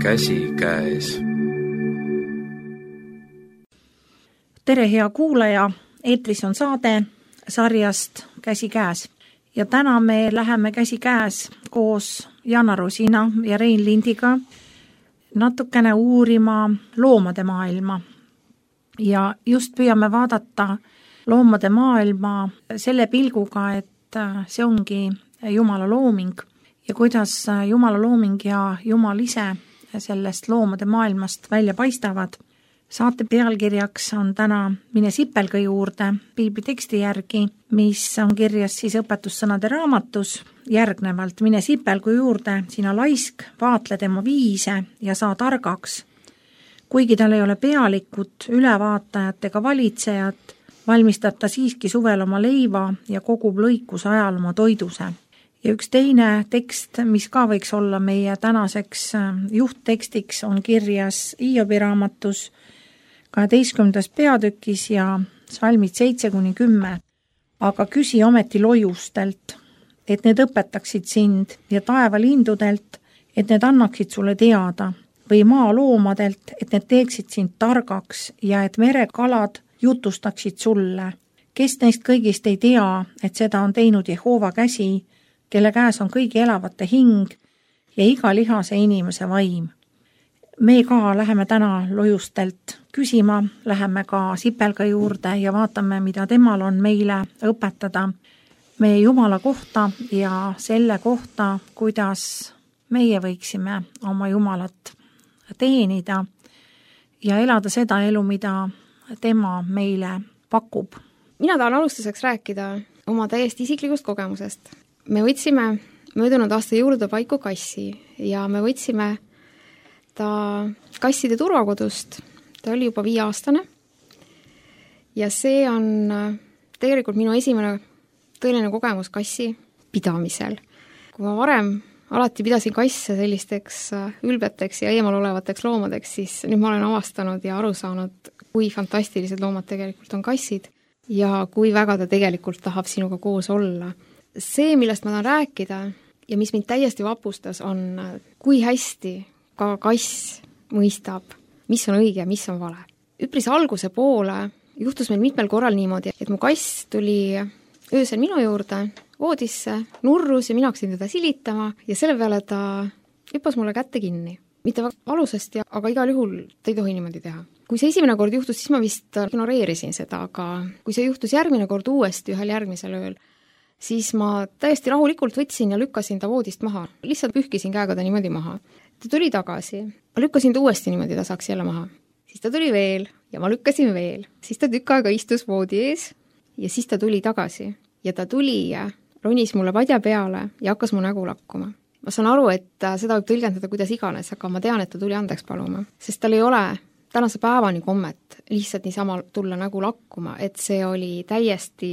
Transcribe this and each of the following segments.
Käsi käes. Tere, hea kuulaja! Eetris on saade sarjast Käsi käes. Ja täna me läheme käsi käes koos Jana Rosina ja Rein Lindiga natukene uurima loomade maailma. Ja just püüame vaadata loomade maailma selle pilguga, et see ongi Jumala looming ja kuidas Jumala looming ja Jumal ise sellest loomade maailmast välja paistavad. Saate pealkirjaks on täna Mine sipelga juurde piibli teksti järgi, mis on kirjas siis õpetussõnade raamatus järgnevalt. Mine sipelgu juurde, sina laisk, vaatle tema viise ja saa targaks. Kuigi tal ei ole pealikut, ülevaatajat ega valitsejat, valmistab ta siiski suvel oma leiva ja kogub lõikuse ajal oma toiduse. Ja üks teine tekst, mis ka võiks olla meie tänaseks juhttekstiks, on kirjas Hiobi raamatus 12. peatükis ja salmid 7-10. Aga küsi ometi loiustelt, et need õpetaksid sind ja taevalindudelt, et need annaksid sulle teada, või maaloomadelt, et need teeksid sind targaks ja et merekalad jutustaksid sulle. Kes neist kõigist ei tea, et seda on teinud Jehova käsi, kelle käes on kõigi elavate hing ja iga lihase inimese vaim. Me ka läheme täna loiustelt küsima, läheme ka sipelga juurde ja vaatame, mida temal on meile õpetada meie Jumala kohta ja selle kohta, kuidas meie võiksime oma Jumalat teenida ja elada seda elu, mida tema meile pakub. Mina tahan alustuseks rääkida oma täiesti isiklikust kogemusest. Me võtsime möödunud aasta juurdepaiku kassi ja me võtsime ta kasside turvakodust. Ta oli juba 5-aastane ja see on tegelikult minu esimene tõeline kogemus kassi pidamisel. Kui ma varem alati pidasin kasse sellisteks ülbeteks ja eemal olevateks loomadeks, siis nüüd ma olen avastanud ja aru saanud, kui fantastilised loomad tegelikult on kassid ja kui väga ta tegelikult tahab sinuga koos olla. See, millest ma tahan rääkida ja mis mind täiesti vapustas, on kui hästi ka kass mõistab, mis on õige ja mis on vale. Üpris alguse poole juhtus meil mitmel korral niimoodi, et mu kass tuli öösel minu juurde voodisse, nurrus ja mina hakkasin teda silitama ja selle peale ta hüppas mulle kätte kinni. Mitte valusasti, aga igal juhul ta ei tohi niimoodi teha. Kui see esimene kord juhtus, siis ma vist ignoreerisin seda, aga kui see juhtus järgmine kord uuesti ühel järgmisel ööl, siis ma täiesti rahulikult võtsin ja lükkasin ta voodist maha. Lihtsalt pühkisin käega ta niimoodi maha. Ta tuli tagasi. Ma lükkasin ta uuesti niimoodi, ta saaks jälle maha. Siis ta tuli veel ja ma lükkasin veel. Siis ta tükk aega istus voodi ees ja siis ta tuli tagasi. Ja ta tuli ja ronis mulle padja peale ja hakkas mu nägu lakkuma. Ma saan aru, et seda võib tõlgendada kuidas iganes, aga ma tean, et ta tuli andeks paluma. Sest tal ei ole tänase päevani kommet lihtsalt niisama tulla nägu lakkuma, et see oli täiesti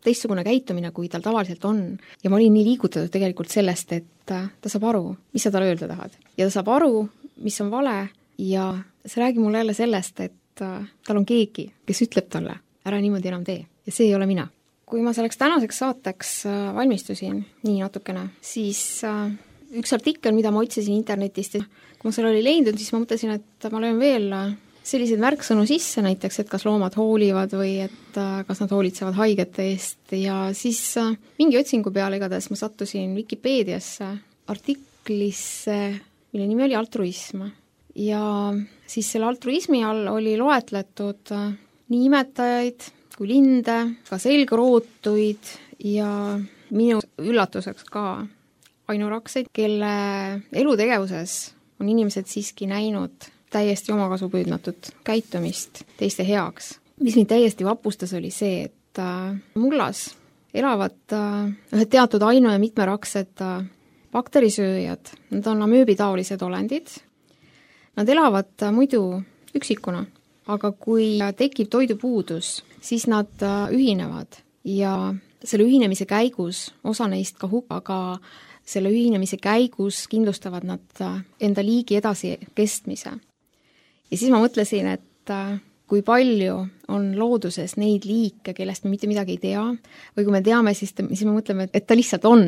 teistsugune käitumine, kui tal tavaliselt on. Ja ma olin nii liigutatud tegelikult sellest, et ta saab aru, mis sa talle öelda tahad. Ja ta saab aru, mis on vale ja see räägib mulle jälle sellest, et tal on keegi, kes ütleb talle, ära niimoodi enam tee. Ja see ei ole mina. Kui ma selleks tänaseks saateks valmistusin nii natukene, siis üks artikkel, mida ma otsisin internetist, kui ma seal oli leidnud, siis ma mõtlesin, et ma löön veel selliseid märksõnu sisse näiteks, et kas loomad hoolivad või et kas nad hoolitsevad haigete eest ja siis mingi otsingu peale igatahes ma sattusin Wikipeediasse artiklisse, mille nimi oli altruism ja siis selle altruismi all oli loetletud nii imetajaid kui linde, ka selgrootuid ja minu üllatuseks ka ainurakseid, kelle elutegevuses on inimesed siiski näinud täiesti omakasupüüdmatut käitumist teiste heaks. Mis mind täiesti vapustas oli see, et mullas elavad ühed teatud ainu- ja mitmeraksed bakterisööjad. Nad on amööbitaolised olendid. Nad elavad muidu üksikuna, aga kui tekib toidupuudus, siis nad ühinevad ja selle ühinemise käigus osa neist ka aga selle ühinemise käigus kindlustavad nad enda liigi edasi kestmise. Ja siis ma mõtlesin, et kui palju on looduses neid liike, kellest me mitte midagi ei tea, või kui me teame, siis me mõtleme, et ta lihtsalt on.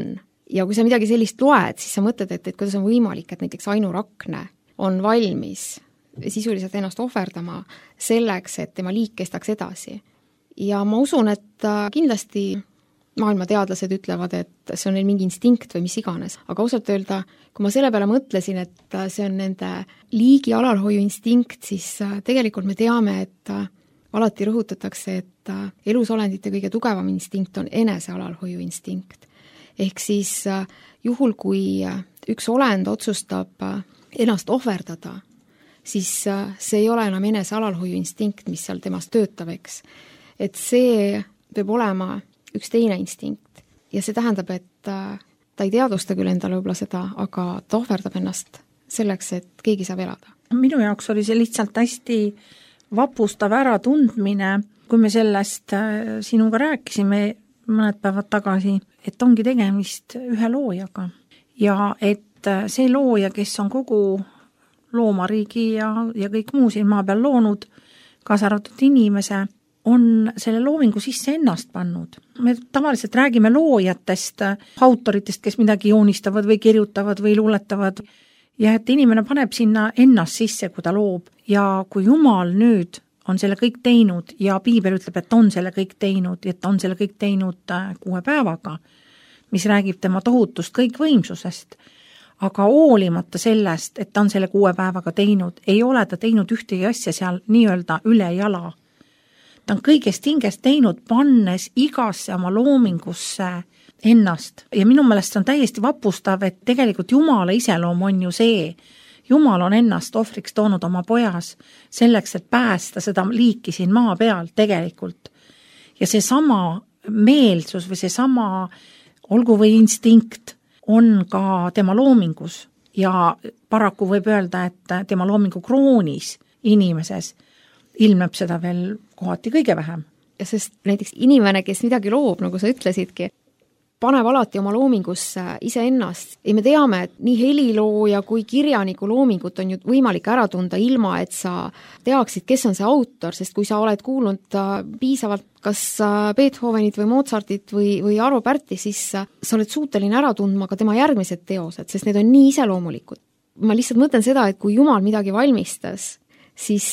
Ja kui sa midagi sellist loed, siis sa mõtled, et kuidas on võimalik, et näiteks ainurakne on valmis sisuliselt ennast ohverdama selleks, et tema liik kestaks edasi. Ja ma usun, et kindlasti maailmateadlased ütlevad, et see on neil mingi instinkt või mis iganes, aga ausalt öelda, kui ma selle peale mõtlesin, et see on nende liigi alalhoiu instinkt, siis tegelikult me teame, et alati rõhutatakse, et elusolendite kõige tugevam instinkt on enese alalhoiu instinkt. Ehk siis juhul, kui üks olend otsustab ennast ohverdada, siis see ei ole enam enese alalhoiu instinkt, mis seal temast töötab, eks. Et see peab olema üks teine instinkt ja see tähendab, et ta ei teadvusta küll endale võib-olla seda, aga ta ohverdab ennast selleks, et keegi saab elada. Minu jaoks oli see lihtsalt hästi vapustav äratundmine, kui me sellest sinuga rääkisime mõned päevad tagasi, et ongi tegemist ühe loojaga ja et see looja, kes on kogu loomariigi ja kõik muu siin maa peal loonud, kaasa arvatud inimese, on selle loomingu sisse ennast pannud. Me tavaliselt räägime loojatest, autoritest, kes midagi joonistavad või kirjutavad või luuletavad ja et inimene paneb sinna ennast sisse, kui ta loob ja kui Jumal nüüd on selle kõik teinud ja Piibel ütleb, et on selle kõik teinud, et on selle kõik teinud 6 päevaga, mis räägib tema tohutust kõikvõimsusest, aga hoolimata sellest, et ta on selle 6 päevaga teinud, ei ole ta teinud ühtegi asja seal nii-öelda üle jala. Ta on kõigest hingest teinud, pannes igasse oma loomingusse ennast. Ja minu meelest see on täiesti vapustav, et tegelikult Jumala iseloom on ju see. Jumal on ennast ohvriks toonud oma pojas selleks, et päästa seda liiki siin maa peal tegelikult. Ja see sama meelsus või see sama olgu või instinkt on ka tema loomingus. Ja paraku võib öelda, et tema loomingu kroonis inimeses ilmneb seda veel kohati kõige vähem. Ja sest näiteks inimene, kes midagi loob, nagu sa ütlesidki, paneb alati oma loomingusse iseennast. Ja me teame, et nii helilooja kui kirjaniku loomingut on ju võimalik ära tunda ilma, et sa teaksid, kes on see autor, sest kui sa oled kuulnud piisavalt kas Beethovenit või Mozartit või Arvo Pärti, siis sa oled suuteline ära tundma ka tema järgmised teosed, sest need on nii iseloomulikud. Ma lihtsalt mõtlen seda, et kui Jumal midagi valmistas, siis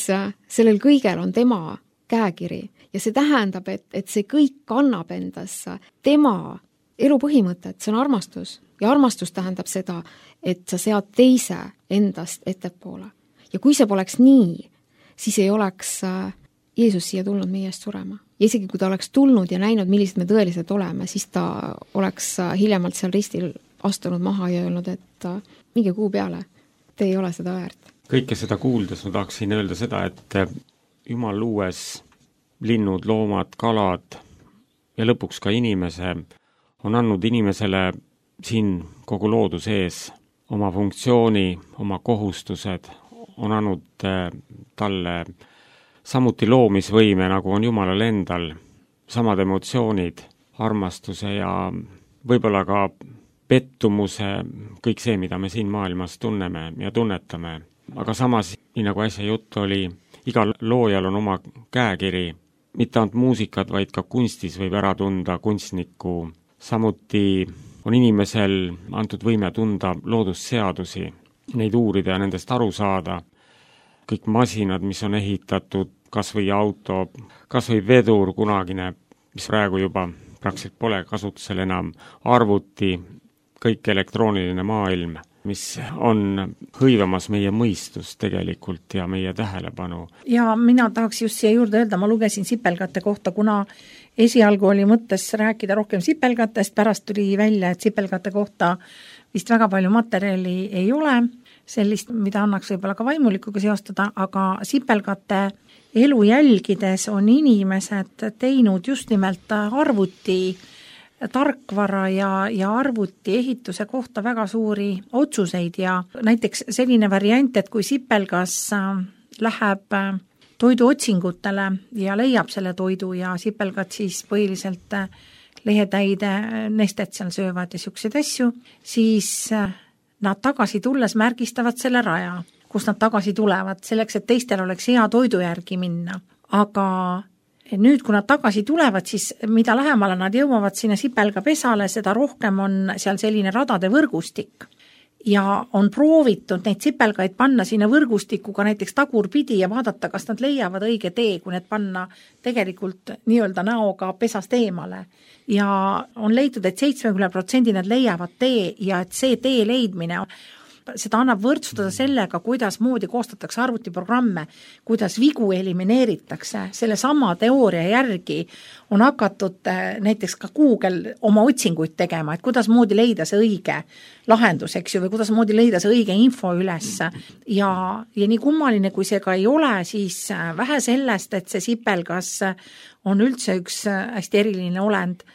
sellel kõigel on tema käekiri ja see tähendab, et see kõik kannab endas tema elu põhimõtet, see on armastus ja armastus tähendab seda, et sa sead teise endast ettepoole. Ja kui see poleks nii, siis ei oleks Jeesus siia tulnud meie eest surema. Ja isegi kui ta oleks tulnud ja näinud, millised me tõeliselt oleme, siis ta oleks hiljemalt seal ristil astunud maha ja öelnud, et minge kuu peale, te ei ole seda väärt. Kõike seda kuuldes ma tahaksin öelda seda, et Jumal luues linnud, loomad, kalad ja lõpuks ka inimese on andnud inimesele siin kogu looduse ees oma funktsiooni, oma kohustused, on andnud talle samuti loomisvõime, nagu on Jumalal endal, samad emotsioonid, armastuse ja võib-olla ka pettumuse, kõik see, mida me siin maailmas tunneme ja tunnetame. Aga samas, nii nagu äsja jutt oli, igal loojal on oma käekiri, mitte ainult muusikat, vaid ka kunstis võib ära tunda kunstnikku. Samuti on inimesel antud võime tunda loodusseadusi, neid uurida ja nendest aru saada. Kõik masinad, mis on ehitatud, kas või auto, kas või vedur kunagine, mis praegu juba praktiliselt pole kasutusel enam, arvuti, kõik elektrooniline maailm, mis on hõivamas meie mõistus tegelikult ja meie tähelepanu. Ja mina tahaks just siia juurde öelda, ma lugesin sipelgate kohta, kuna esialgu oli mõttes rääkida rohkem sipelgatest, pärast tuli välja, et sipelgate kohta vist väga palju materjali ei ole, sellist, mida annaks võib-olla ka vaimulikuga seostada, aga sipelgate elu jälgides on inimesed teinud just nimelt arvuti tarkvara ja arvuti ehituse kohta väga suuri otsuseid ja näiteks selline variant, et kui sipelgas läheb toiduotsingutele ja leiab selle toidu ja sipelgad siis põhiliselt lehetäide nestet seal söövad ja siukseid asju, siis nad tagasi tulles märgistavad selle raja, kus nad tagasi tulevad, selleks, et teistel oleks hea toidu järgi minna. Aga nüüd, kui nad tagasi tulevad, siis mida lähemale nad jõuavad sinna sipelga pesale, seda rohkem on seal selline radade võrgustik. ja on proovitud neid sipelgaid panna sinna võrgustikuga näiteks tagurpidi ja vaadata, kas nad leiavad õige tee, kui need panna tegelikult nii-öelda näoga pesast eemale. Ja on leitud, et 70% nad leiavad tee ja et see tee leidmine seda annab võrdsustada sellega, kuidas moodi koostatakse arvutiprogramme, kuidas vigu elimineeritakse. Selle sama teooria järgi on hakatud näiteks ka Google oma otsinguid tegema, et kuidas moodi leida see õige lahendus, eks ju, või kuidas moodi leida see õige info üles. Ja nii kummaline, kui see ka ei ole, siis vähe sellest, et see sipelgas on üldse üks hästi eriline olend,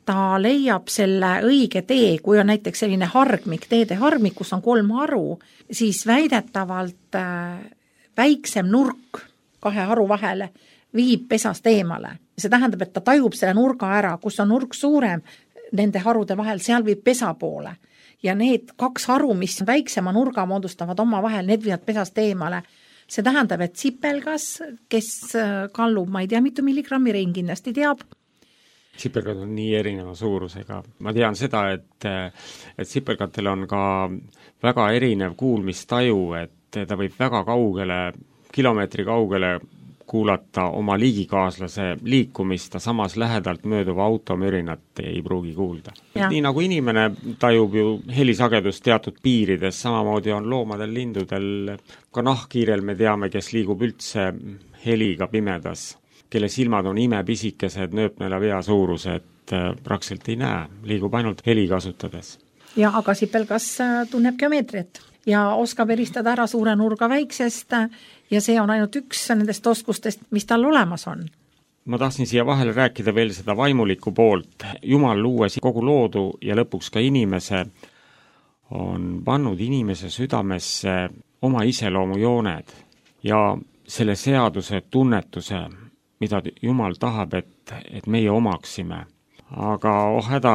ta leiab selle õige tee, kui on näiteks selline hargmik, teede hargmik, kus on 3 haru, siis väidetavalt väiksem nurk 2 haru vahele viib pesast eemale. See tähendab, et ta tajub selle nurga ära, kus on nurk suurem nende harude vahel, seal viib pesa poole. Ja need 2 haru, mis väiksema nurga moodustavad oma vahel, need viivad pesast eemale. See tähendab, et sipelgas, kes kallub, ma ei tea, mitu milligrammi rein kindlasti teab, sipelgad on nii erineva suurusega. Ma tean seda, et sipelgatel on ka väga erinev kuulmistaju, et ta võib väga kaugele, kilomeetri kaugele kuulata oma liigikaaslase liikumist, ta samas lähedalt mööduva automürinat ei pruugi kuulda. Nii nagu inimene tajub ju helisagedust teatud piirides, samamoodi on loomadel, lindudel, ka nahkhiirel me teame, kes liigub üldse heliga pimedas, kelle silmad on imepisikesed, nööpnela vea suurused, praktiliselt ei näe, liigub ainult heli kasutades. Ja aga sipelgas tunneb geomeetriat ja oskab eristada ära suure nurga väiksest ja see on ainult üks nendest oskustest, mis tal olemas on. Ma tahtsin siia vahele rääkida veel seda vaimulikku poolt. Jumal luues kogu loodu ja lõpuks ka inimese on pannud inimese südamesse oma iseloomujooned ja selle seaduse tunnetuse, mida Jumal tahab, et meie omaksime. Aga häda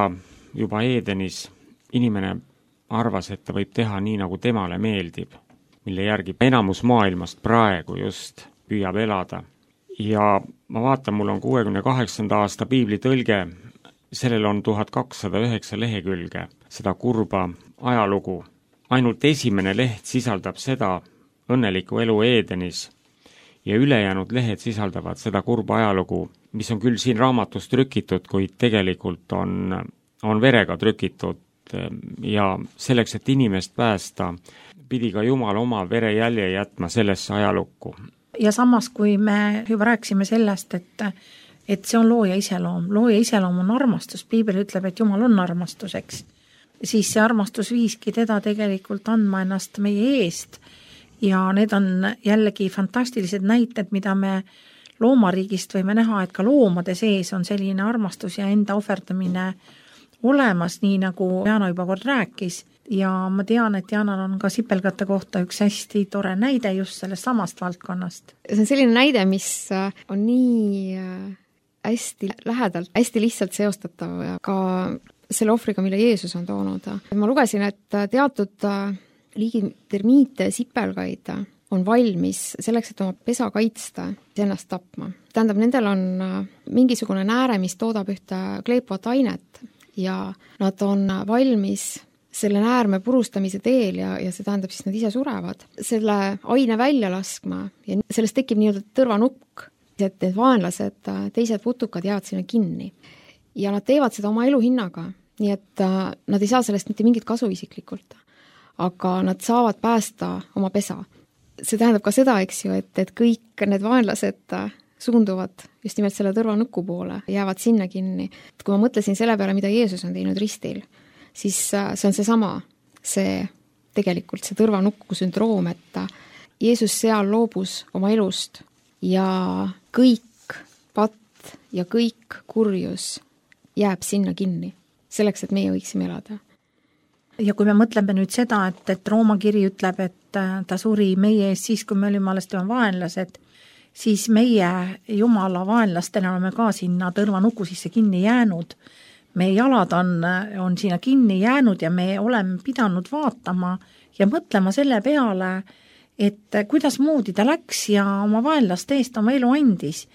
juba Eedenis inimene arvas, et ta võib teha nii, nagu temale meeldib, mille järgi enamus maailmast praegu just püüab elada. Ja ma vaatan, mul on 68. aasta piibli tõlge, sellel on 1209 lehekülge, seda kurba ajalugu. Ainult esimene leht sisaldab seda õnnelikku elu Eedenis, ja ülejäänud lehed sisaldavad seda kurba ajalugu, mis on küll siin raamatus trükitud, kuid tegelikult on verega trükitud ja selleks, et inimest päästa, pidi ka Jumal oma verejälje jätma sellesse ajalukku. Ja samas, kui me juba rääkisime sellest, et see on looja iseloom. Looja iseloom on armastus. Piibel ütleb, et Jumal on armastuseks. Siis see armastus viiski teda tegelikult andma ennast meie eest. Ja need on jällegi fantastilised näited, mida me loomariigist võime näha, et ka loomade sees on selline armastus ja enda ohverdamine olemas, nii nagu Jana juba kord rääkis. Ja ma tean, et Janal on ka sipelgate kohta üks hästi tore näide just sellest samast valdkonnast. See on selline näide, mis on nii hästi lähedalt, hästi lihtsalt seostatav ka selle ohvriga, mille Jeesus on toonud. Ma lugesin, et teatud liigi termiite ja sipelgaid on valmis selleks, et oma pesa kaitsta, ennast tapma. Tähendab, nendel on mingisugune nääre, mis toodab ühte kleepuvat ainet ja nad on valmis selle näärme purustamise teel ja see tähendab siis nad ise surevad. Selle aine välja laskma ja sellest tekib nii-öelda tõrvanukk, et need vaenlased, teised putukad jäävad sinna kinni. Ja nad teevad seda oma elu hinnaga, nii et nad ei saa sellest mitte mingit kasu isiklikult. Aga nad saavad päästa oma pesa. See tähendab ka seda, eks ju, et kõik need vaenlased suunduvad just nimelt selle tõrvanuku poole, jäävad sinna kinni. Et kui ma mõtlesin selle peale, mida Jeesus on teinud ristil, siis see on seesama, see tegelikult see tõrvanuku sündroom, et Jeesus seal loobus oma elust ja kõik patt ja kõik kurjus jääb sinna kinni, selleks, et meie võiksime elada. Ja kui me mõtleme nüüd seda, et Rooma kiri ütleb, et ta suri meie eest siis, kui me olime alles tema vaenlased, siis meie Jumala vaenlastena oleme ka sinna tõrvanuku sisse kinni jäänud. Meie jalad on sinna kinni jäänud ja me oleme pidanud vaatama ja mõtlema selle peale, et kuidas moodi ta läks ja oma vaenlaste eest oma elu andis.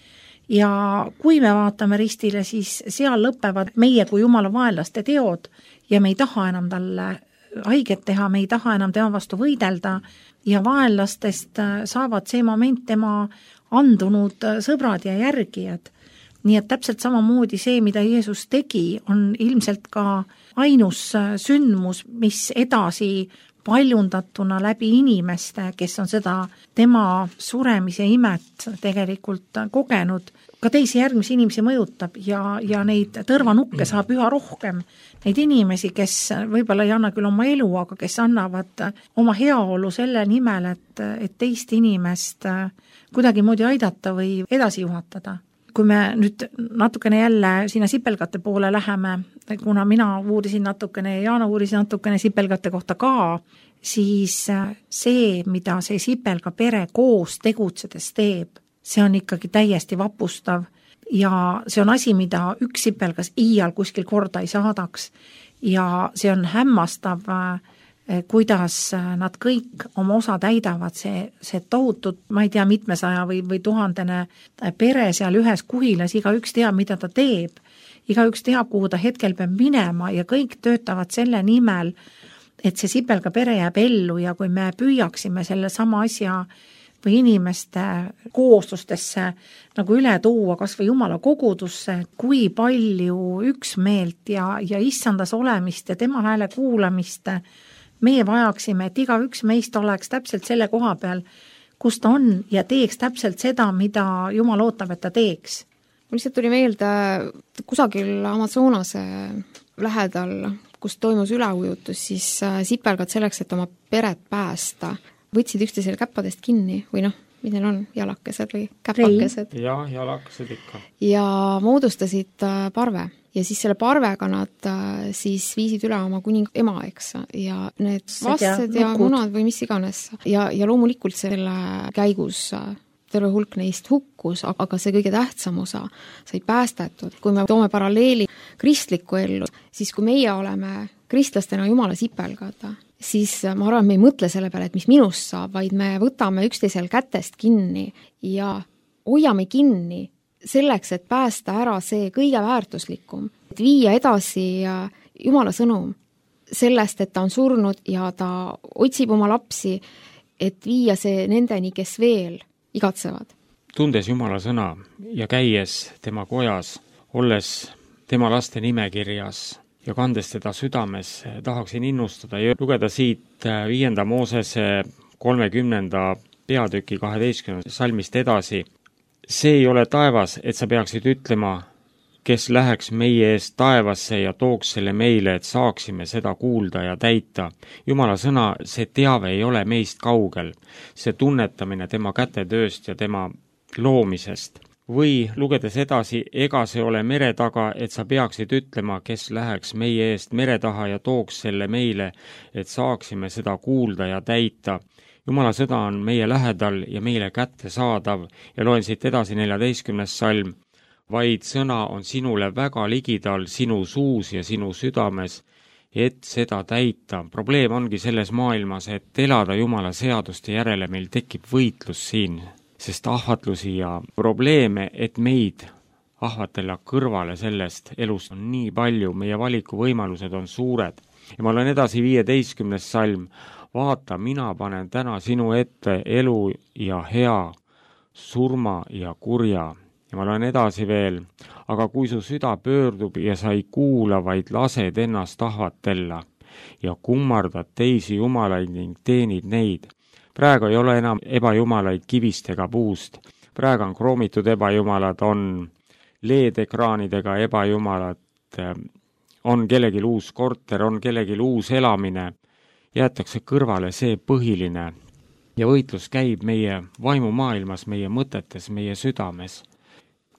Ja kui me vaatame ristile, siis seal lõpevad meie kui Jumala vaenlaste teod ja me ei taha enam talle haiget teha, me ei taha enam tema vastu võidelda ja vaenlastest saavad see moment tema andunud sõbrad ja järgijad. Nii et täpselt samamoodi see, mida Jeesus tegi, on ilmselt ka ainus sündmus, mis edasi paljundatuna läbi inimeste, kes on seda tema suremise imet tegelikult kogenud, ka teisi järgmisi inimesi mõjutab ja neid tõrvanukke saab üha rohkem. Neid inimesi, kes võib-olla ei anna küll oma elu, aga kes annavad oma heaolu selle nimel, et teist inimest kuidagi moodi aidata või edasi juhatada. Kui me nüüd natukene jälle sinna sipelgate poole läheme, kuna mina uurisin natukene ja Jaana uuris natukene sipelgate kohta ka, siis see, mida see sipelga pere koos tegutsedes teeb, see on ikkagi täiesti vapustav ja see on asi, mida üks sipelgas iial kuskil korda ei saadaks ja see on hämmastav, kuidas nad kõik oma osa täidavad, see tohutut, ma ei tea, mitmesaja või 1000 pere seal ühes kuhilas, igaüks teab, mida ta teeb, igaüks teab, kuhu ta hetkel peab minema ja kõik töötavad selle nimel, et see sipelga pere jääb ellu ja kui me püüaksime selle sama asja või inimeste kooslustesse nagu üle tuua, kas või Jumala kogudusse, kui palju üksmeelt ja issandas olemist ja tema hääle kuulamist meie vajaksime, et igaüks meist oleks täpselt selle koha peal, kus ta on ja teeks täpselt seda, mida Jumal ootab, et ta teeks. Mul lihtsalt tuli meelde kusagil Amazonase lähedal, kus toimus üleujutus, siis sipelgad selleks, et oma peret päästa, võtsid üksteisele käppadest kinni või mis neil on, jalakesed või käpakesed? Jah, jalakesed ikka. Ja moodustasid parve. Ja siis selle parvega nad siis viisid üle oma kuning ema, eks, ja need vastsed ja munad või mis iganes. Ja loomulikult selle käigus terve hulk neist hukkus, aga see kõige tähtsam osa sai päästetud. Kui me toome paralleeli kristlikku ellu, siis kui meie oleme kristlastena Jumala sipelgad, siis ma arvan, me ei mõtle selle peale, et mis minust saab, vaid me võtame üksteisel kätest kinni ja hoiame kinni selleks, et päästa ära see kõige väärtuslikum, et viia edasi Jumala sõnum sellest, et ta on surnud ja ta otsib oma lapsi, et viia see nendeni, kes veel igatsevad. Tundes Jumala sõna ja käies tema kojas, olles tema laste nimekirjas ja kandes teda südames, tahaksin innustada ja lugeda siit 5. Moosese 30. peatüki 12. salmist edasi. See ei ole taevas, et sa peaksid ütlema, kes läheks meie eest taevasse ja tooks selle meile, et saaksime seda kuulda ja täita. Jumala sõna, see teave ei ole meist kaugel, see tunnetamine tema kätetööst ja tema loomisest. Või lugedes edasi, ega see ole mere taga, et sa peaksid ütlema, kes läheks meie eest mere taha ja tooks selle meile, et saaksime seda kuulda ja täita. Jumala sõda on meie lähedal ja meile kätte saadav ja loen siit edasi 14. salm. Vaid sõna on sinule väga ligidal sinu suus ja sinu südames, et seda täita. Probleem ongi selles maailmas, et elada Jumala seaduste järele meil tekib võitlus siin, sest ahvatlusi ja probleeme, et meid ahvatella kõrvale sellest elust on nii palju, meie valikuvõimalused on suured. Ja ma loen edasi 15. salm. Vaata, mina panen täna sinu ette elu ja hea, surma ja kurja. Ja ma loen edasi veel. Aga kui su süda pöördub ja sa ei kuula, vaid lased ennast ahvatella ja kummardad teisi jumalaid ning teenid neid. Praegu ei ole enam ebajumalaid kivist ega puust. Praegu on kroomitud ebajumalad, on LED-ekraanidega ebajumalad, on kellegi uus korter, on kellegi uus elamine. Jäetakse kõrvale see põhiline ja võitlus käib meie vaimumaailmas, meie mõtetes, meie südames.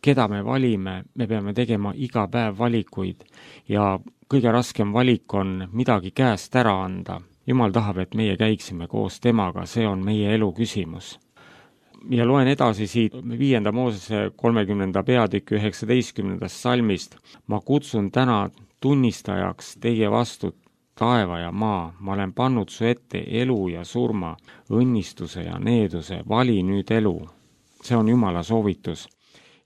Keda me valime, me peame tegema iga päev valikuid ja kõige raskem valik on midagi käest ära anda. Jumal tahab, et meie käiksime koos temaga, see on meie elu küsimus. Ja loen edasi siit 5. Moosese 30. peatükki 19. salmist. Ma kutsun täna tunnistajaks teie vastu taeva ja maa, ma olen pannud su ette elu ja surma, õnnistuse ja needuse, vali nüüd elu. See on Jumala soovitus,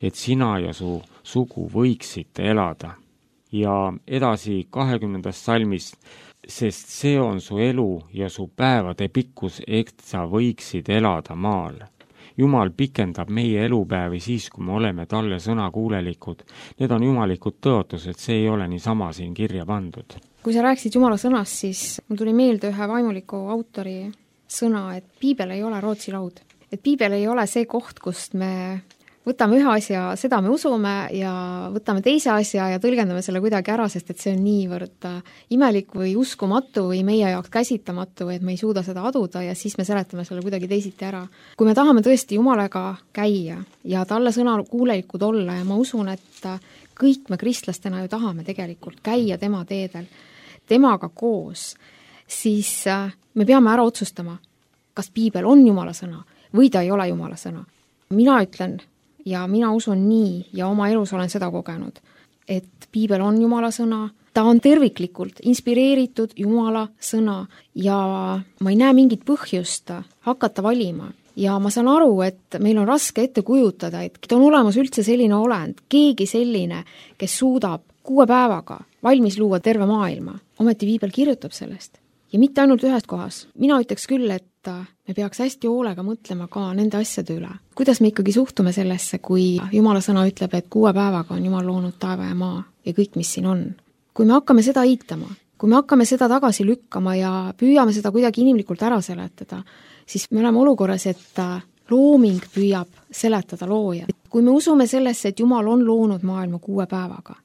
et sina ja su sugu võiksite elada. Ja edasi 20. salmist, sest see on su elu ja su päevade pikkus, et sa võiksid elada maal. Jumal pikendab meie elupäevi siis, kui me oleme talle sõnakuulelikud. Need on jumalikud tõotused, see ei ole niisama siin kirja pandud. Kui sa rääkisid Jumala sõnast, siis mul tuli meelde ühe vaimuliku autori sõna, et piibel ei ole Rootsi laud. Et piibel ei ole see koht, kust me võtame ühe asja, seda me usume ja võtame teise asja ja tõlgendame selle kuidagi ära, sest et see on niivõrd imelik või uskumatu või meie jaoks käsitamatu, et me ei suuda seda aduda ja siis me seletame selle kuidagi teisiti ära. Kui me tahame tõesti Jumalaga käia ja talle sõna kuulelikud olla ja ma usun, et kõik me kristlastena ju tahame tegelikult käia tema teedel, temaga koos, siis me peame ära otsustama, kas piibel on Jumala sõna või ta ei ole Jumala sõna. Mina ütlen ja mina usun nii ja oma elus olen seda kogenud, et piibel on Jumala sõna, ta on terviklikult inspireeritud Jumala sõna ja ma ei näe mingit põhjust hakata valima. Ja ma saan aru, et meil on raske ette kujutada, et on olemas üldse selline olend, keegi selline, kes suudab 6 päevaga valmis luua terve maailma. Ometi piibel kirjutab sellest. Ja mitte ainult ühes kohas. Mina ütleks küll, et me peaks hästi hoolega mõtlema ka nende asjade üle. Kuidas me ikkagi suhtume sellesse, kui Jumala sõna ütleb, et 6 päevaga on Jumal loonud taeva ja maa ja kõik, mis siin on. Kui me hakkame seda eitama, kui me hakkame seda tagasi lükkama ja püüame seda kuidagi inimlikult ära seletada, siis me oleme olukorras, et looming püüab seletada looja. Kui me usume sellesse, et Jumal on loonud maailma 6 päevaga,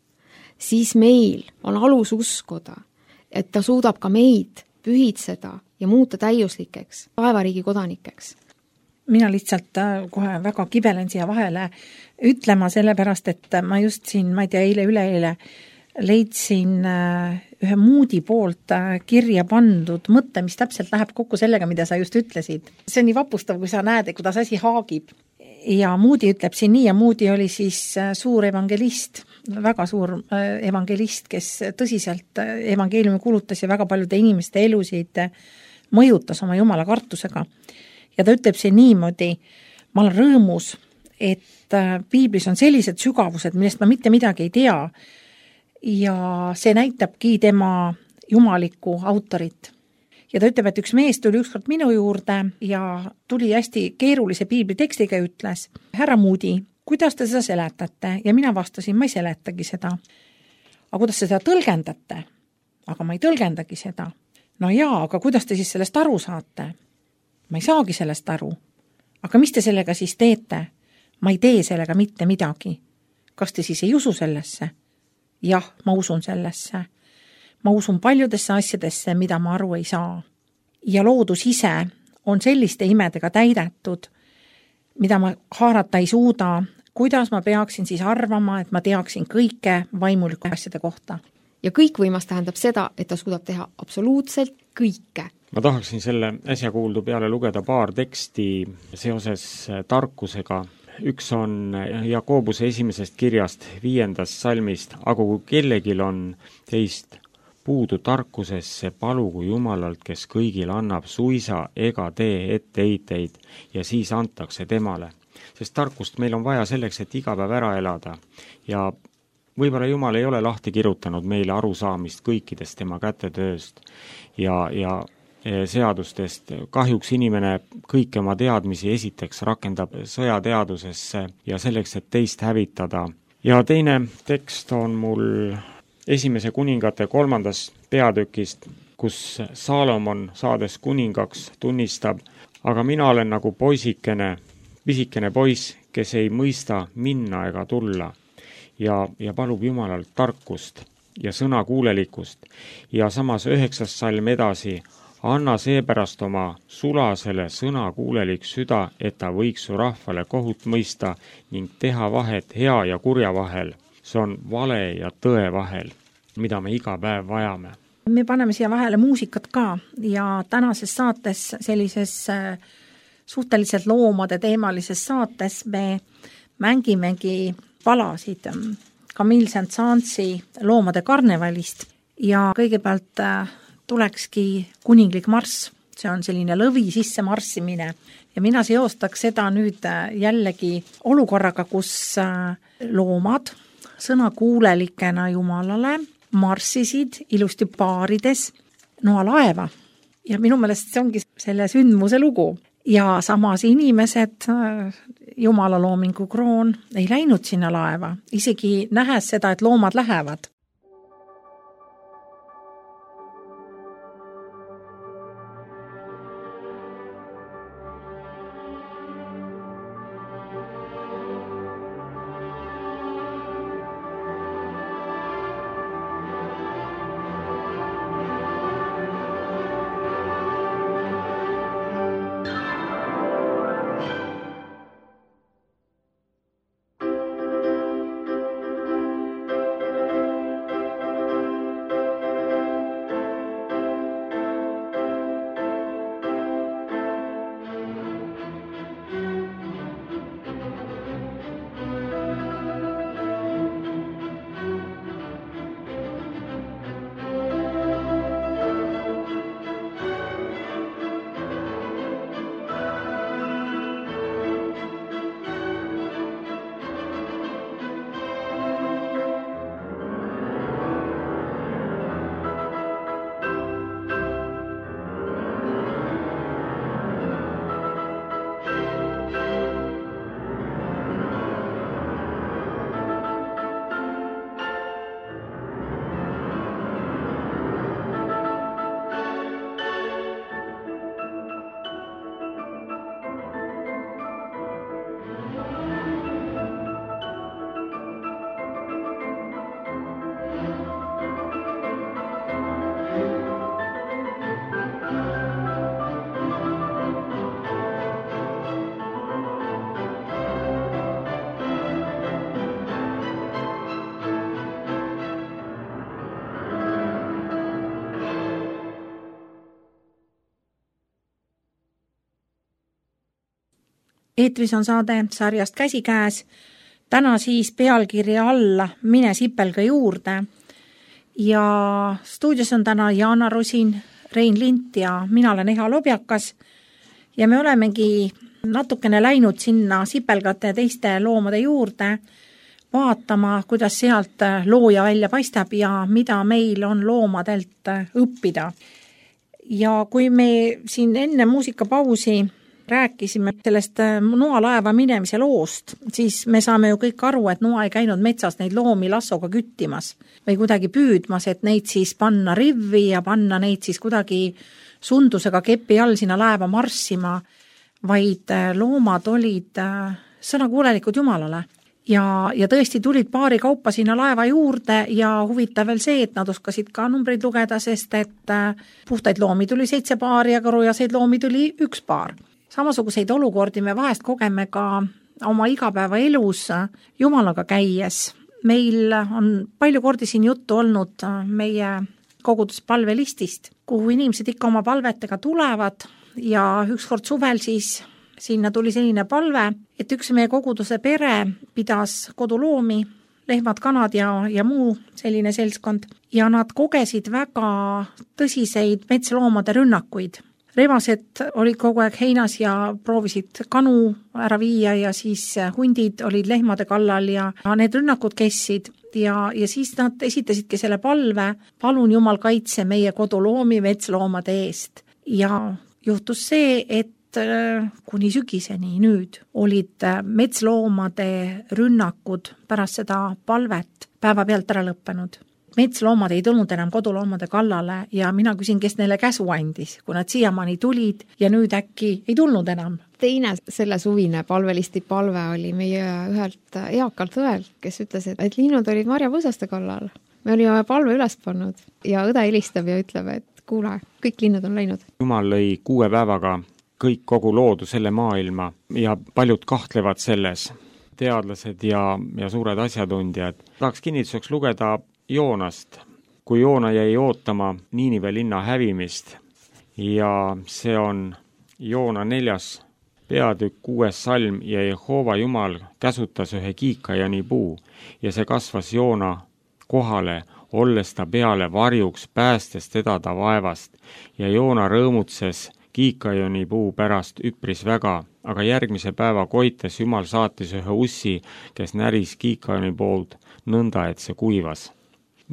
siis meil on alus uskuda, et ta suudab ka meid pühitseda ja muuta täiuslikeks, taevariigi kodanikeks. Mina lihtsalt kohe väga kibelen siia vahele ütlema sellepärast, et ma just siin, ma ei tea, üleeile leidsin ühe Moody poolt kirja pandud mõtte, mis täpselt läheb kokku sellega, mida sa just ütlesid. See on nii vapustav, kui sa näed, kuidas asi haagib. Ja Moody ütleb siin nii, ja Moody oli siis suur evangelist, väga suur evangelist, kes tõsiselt evangeeliumi kulutas ja väga paljude inimeste elusid mõjutas oma Jumala kartusega. Ja ta ütleb siin niimoodi, ma olen rõõmus, et piiblis on sellised sügavused, millest ma mitte midagi ei tea ja see näitabki tema jumalikku autorit. Ja ta ütleb, et üks mees tuli ükskord minu juurde ja tuli hästi keerulise piiblitekstiga ja ütles, härra Moody, kuidas te seda seletate? Ja mina vastasin, ma ei seletagi seda. Aga kuidas te seda tõlgendate? Aga ma ei tõlgendagi seda. No jaa, aga kuidas te siis sellest aru saate? Ma ei saagi sellest aru. Aga mis te sellega siis teete? Ma ei tee sellega mitte midagi. Kas te siis ei usu sellesse? Jah, ma usun sellesse. Ma usun paljudesse asjadesse, mida ma aru ei saa. Ja loodus ise on selliste imedega täidetud, mida ma haarata ei suuda, kuidas ma peaksin siis arvama, et ma teaksin kõike vaimuliku asjade kohta. Ja kõikvõimas tähendab seda, et ta suudab teha absoluutselt kõike. Ma tahaksin selle äsja kuuldu peale lugeda paar teksti seoses tarkusega. Üks on Jakobuse 1. kirjast 5. salmist, aga kui kellegil on teist puudu tarkusesse, palugu Jumalalt, kes kõigil annab suisa ega tee etteheiteid ja siis antakse temale. Sest tarkust meil on vaja selleks, et iga päev ära elada ja võib-olla Jumal ei ole lahti kirjutanud meile arusaamist kõikidest tema kätetööst ja seadustest. Kahjuks inimene kõiki oma teadmisi esiteks rakendab sõjateadusesse ja selleks, et teist hävitada. Ja teine tekst on mul 1. kuningate 3. peatükist, kus Saalomon saades kuningaks tunnistab, aga mina olen nagu poisikene, pisikene poiss, kes ei mõista minna ega tulla ja palub Jumalalt tarkust ja sõnakuulelikkust. Ja samas 9. salm edasi, anna seepärast oma sulasele sõnakuulelik süda, et ta võiks su rahvale kohut mõista ning teha vahet hea ja kurja vahel. See on vale ja tõe vahel, mida me iga päev vajame. Me paneme siia vahele muusikat ka ja tänases saates, sellises suhteliselt loomade teemalises saates me mängimegi palasid Camille Saint-Saënsi Loomade karnevalist ja kõigepealt tulekski kuninglik marss. See on selline lõvi sisse marssimine ja mina seostaks seda nüüd jällegi olukorraga, kus loomad sõnakuulelikena Jumalale marssisid ilusti paarides noalaeva ja minu meelest see ongi selle sündmuse lugu. Ja samas inimesed, Jumala loomingu kroon, ei läinud sinna laeva, isegi nähes seda, et loomad lähevad. Eetris on saade sarjast Käsikäes, täna siis pealkirja alla Mine sipelga juurde ja stuudios on täna Jaana Rosin, Rein Lint ja mina olen Eha Lobjakas ja me olemegi natukene läinud sinna sipelgate ja teiste loomade juurde vaatama, kuidas sealt looja välja paistab ja mida meil on loomadelt õppida. Ja kui me siin enne muusikapausi rääkisime sellest noalaeva minemise loost, siis me saame ju kõik aru, et noa ei käinud metsas neid loomi lassoga küttimas või kuidagi püüdmas, et neid siis panna rivvi ja panna neid siis kuidagi sundusega kepi all sinna laeva marssima, vaid loomad olid sõnakuulelikud Jumalale. Ja tõesti tulid paari kaupa sinna laeva juurde ja huvitav veel see, et nad oskasid ka numbreid lugeda, sest et puhtaid loomi tuli 7 paari ja karujaseid loomi tuli 1 paar. Samasuguseid olukordi me vahest kogeme ka oma igapäevaelus Jumalaga käies. Meil on palju kordi siin juttu olnud meie koguduspalvelistist, kuhu inimesed ikka oma palvetega tulevad ja ükskord suvel siis sinna tuli selline palve, et üks meie koguduse pere pidas koduloomi, lehmad, kanad ja muu selline seltskond ja nad kogesid väga tõsiseid metsloomade rünnakuid. Rebased olid kogu aeg heinas ja proovisid kanu ära viia ja siis hundid olid lehmade kallal ja need rünnakud kestsid ja siis nad esitasidki selle palve, palun Jumal kaitse meie koduloomi metsloomade eest. Ja juhtus see, et kuni sügiseni nüüd olid metsloomade rünnakud pärast seda palvet päevapealt ära lõppenud. Metsloomad ei tulnud enam koduloomade kallale ja mina küsin, kes neile käsu andis, kui nad siiamaani tulid ja nüüd äkki ei tulnud enam. Teine selle suvine palvelisti palve oli meie ühelt eakalt õelt, kes ütles, et linnud olid marjapõõsaste kallal. Me olime palve üles pannud ja õde helistab ja ütleb, et kuule, kõik linnud on läinud. Jumal lõi 6 päevaga kõik kogu loodu selle maailma ja paljud kahtlevad selles, teadlased ja suured asjatundjad. Tahaks kinnituseks lugeda Joonast, kui Joona jäi ootama Niinive linna hävimist ja see on Joona 4. peatükk 6. salm ja Jehova Jumal käsutas ühe kiikajani puu ja see kasvas Joona kohale, olles ta peale varjuks, päästes teda ta vaevast ja Joona rõõmutses kiikajani puu pärast üpris väga, aga järgmise päeva koites Jumal saatis ühe ussi, kes näris kiikajani poolt nõnda, et see kuivas.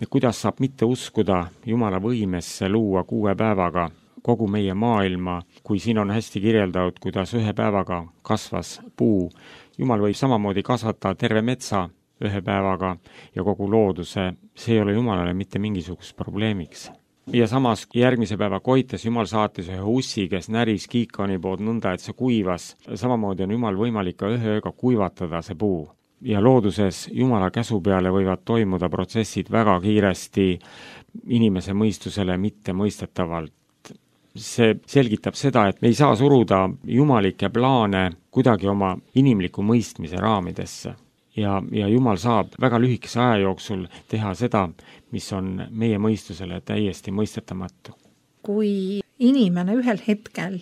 kuidas saab mitte uskuda Jumala võimesse luua 6 päevaga kogu meie maailma, kui siin on hästi kirjeldatud, kuidas 1 päevaga kasvas puu. Jumal võib samamoodi kasvatada terve metsa 1 päevaga ja kogu looduse, see ei ole Jumalale mitte mingisugust probleemiks. Ja samas järgmise päeva koites Jumal saatis ühe ussi, kes näris kiikoni pood nõnda, et see kuivas. Samamoodi on Jumal võimalik ka 1 ööga kuivatada see puu. Ja looduses Jumala käsu peale võivad toimuda protsessid väga kiiresti inimese mõistusele mitte mõistetavalt. See selgitab seda, et me ei saa suruda jumalikke plaane kuidagi oma inimliku mõistmise raamidesse. Ja Jumal saab väga lühikese aja jooksul teha seda, mis on meie mõistusele täiesti mõistetamatu. Kui inimene ühel hetkel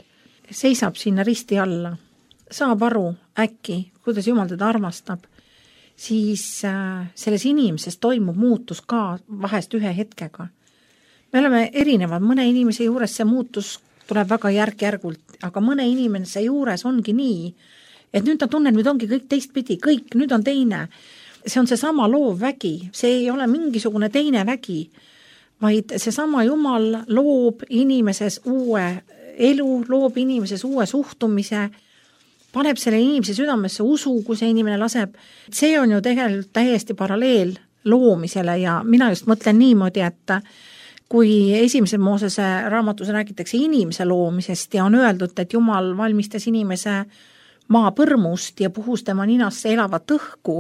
seisab sinna risti alla, saab aru äkki, kuidas Jumal teda armastab, siis selles inimeses toimub muutus ka vahest 1 hetkega. Me oleme erinevad, mõne inimese juures see muutus tuleb väga järk-järgult, aga mõne inimese juures ongi nii, et nüüd ta tunneb, nüüd ongi kõik teistpidi, kõik, nüüd on teine. See on seesama loov vägi, see ei ole mingisugune teine vägi, vaid seesama Jumal loob inimeses uue elu, loob inimeses uue suhtumise, paneb selle inimese südamesse usu, kui see inimene laseb. See on ju tegelikult täiesti paralleel loomisele ja mina just mõtlen niimoodi, et kui esimese Moosese raamatus räägitakse inimese loomisest ja on öeldud, et Jumal valmistas inimese maapõrmust ja puhus tema ninasse elavat õhku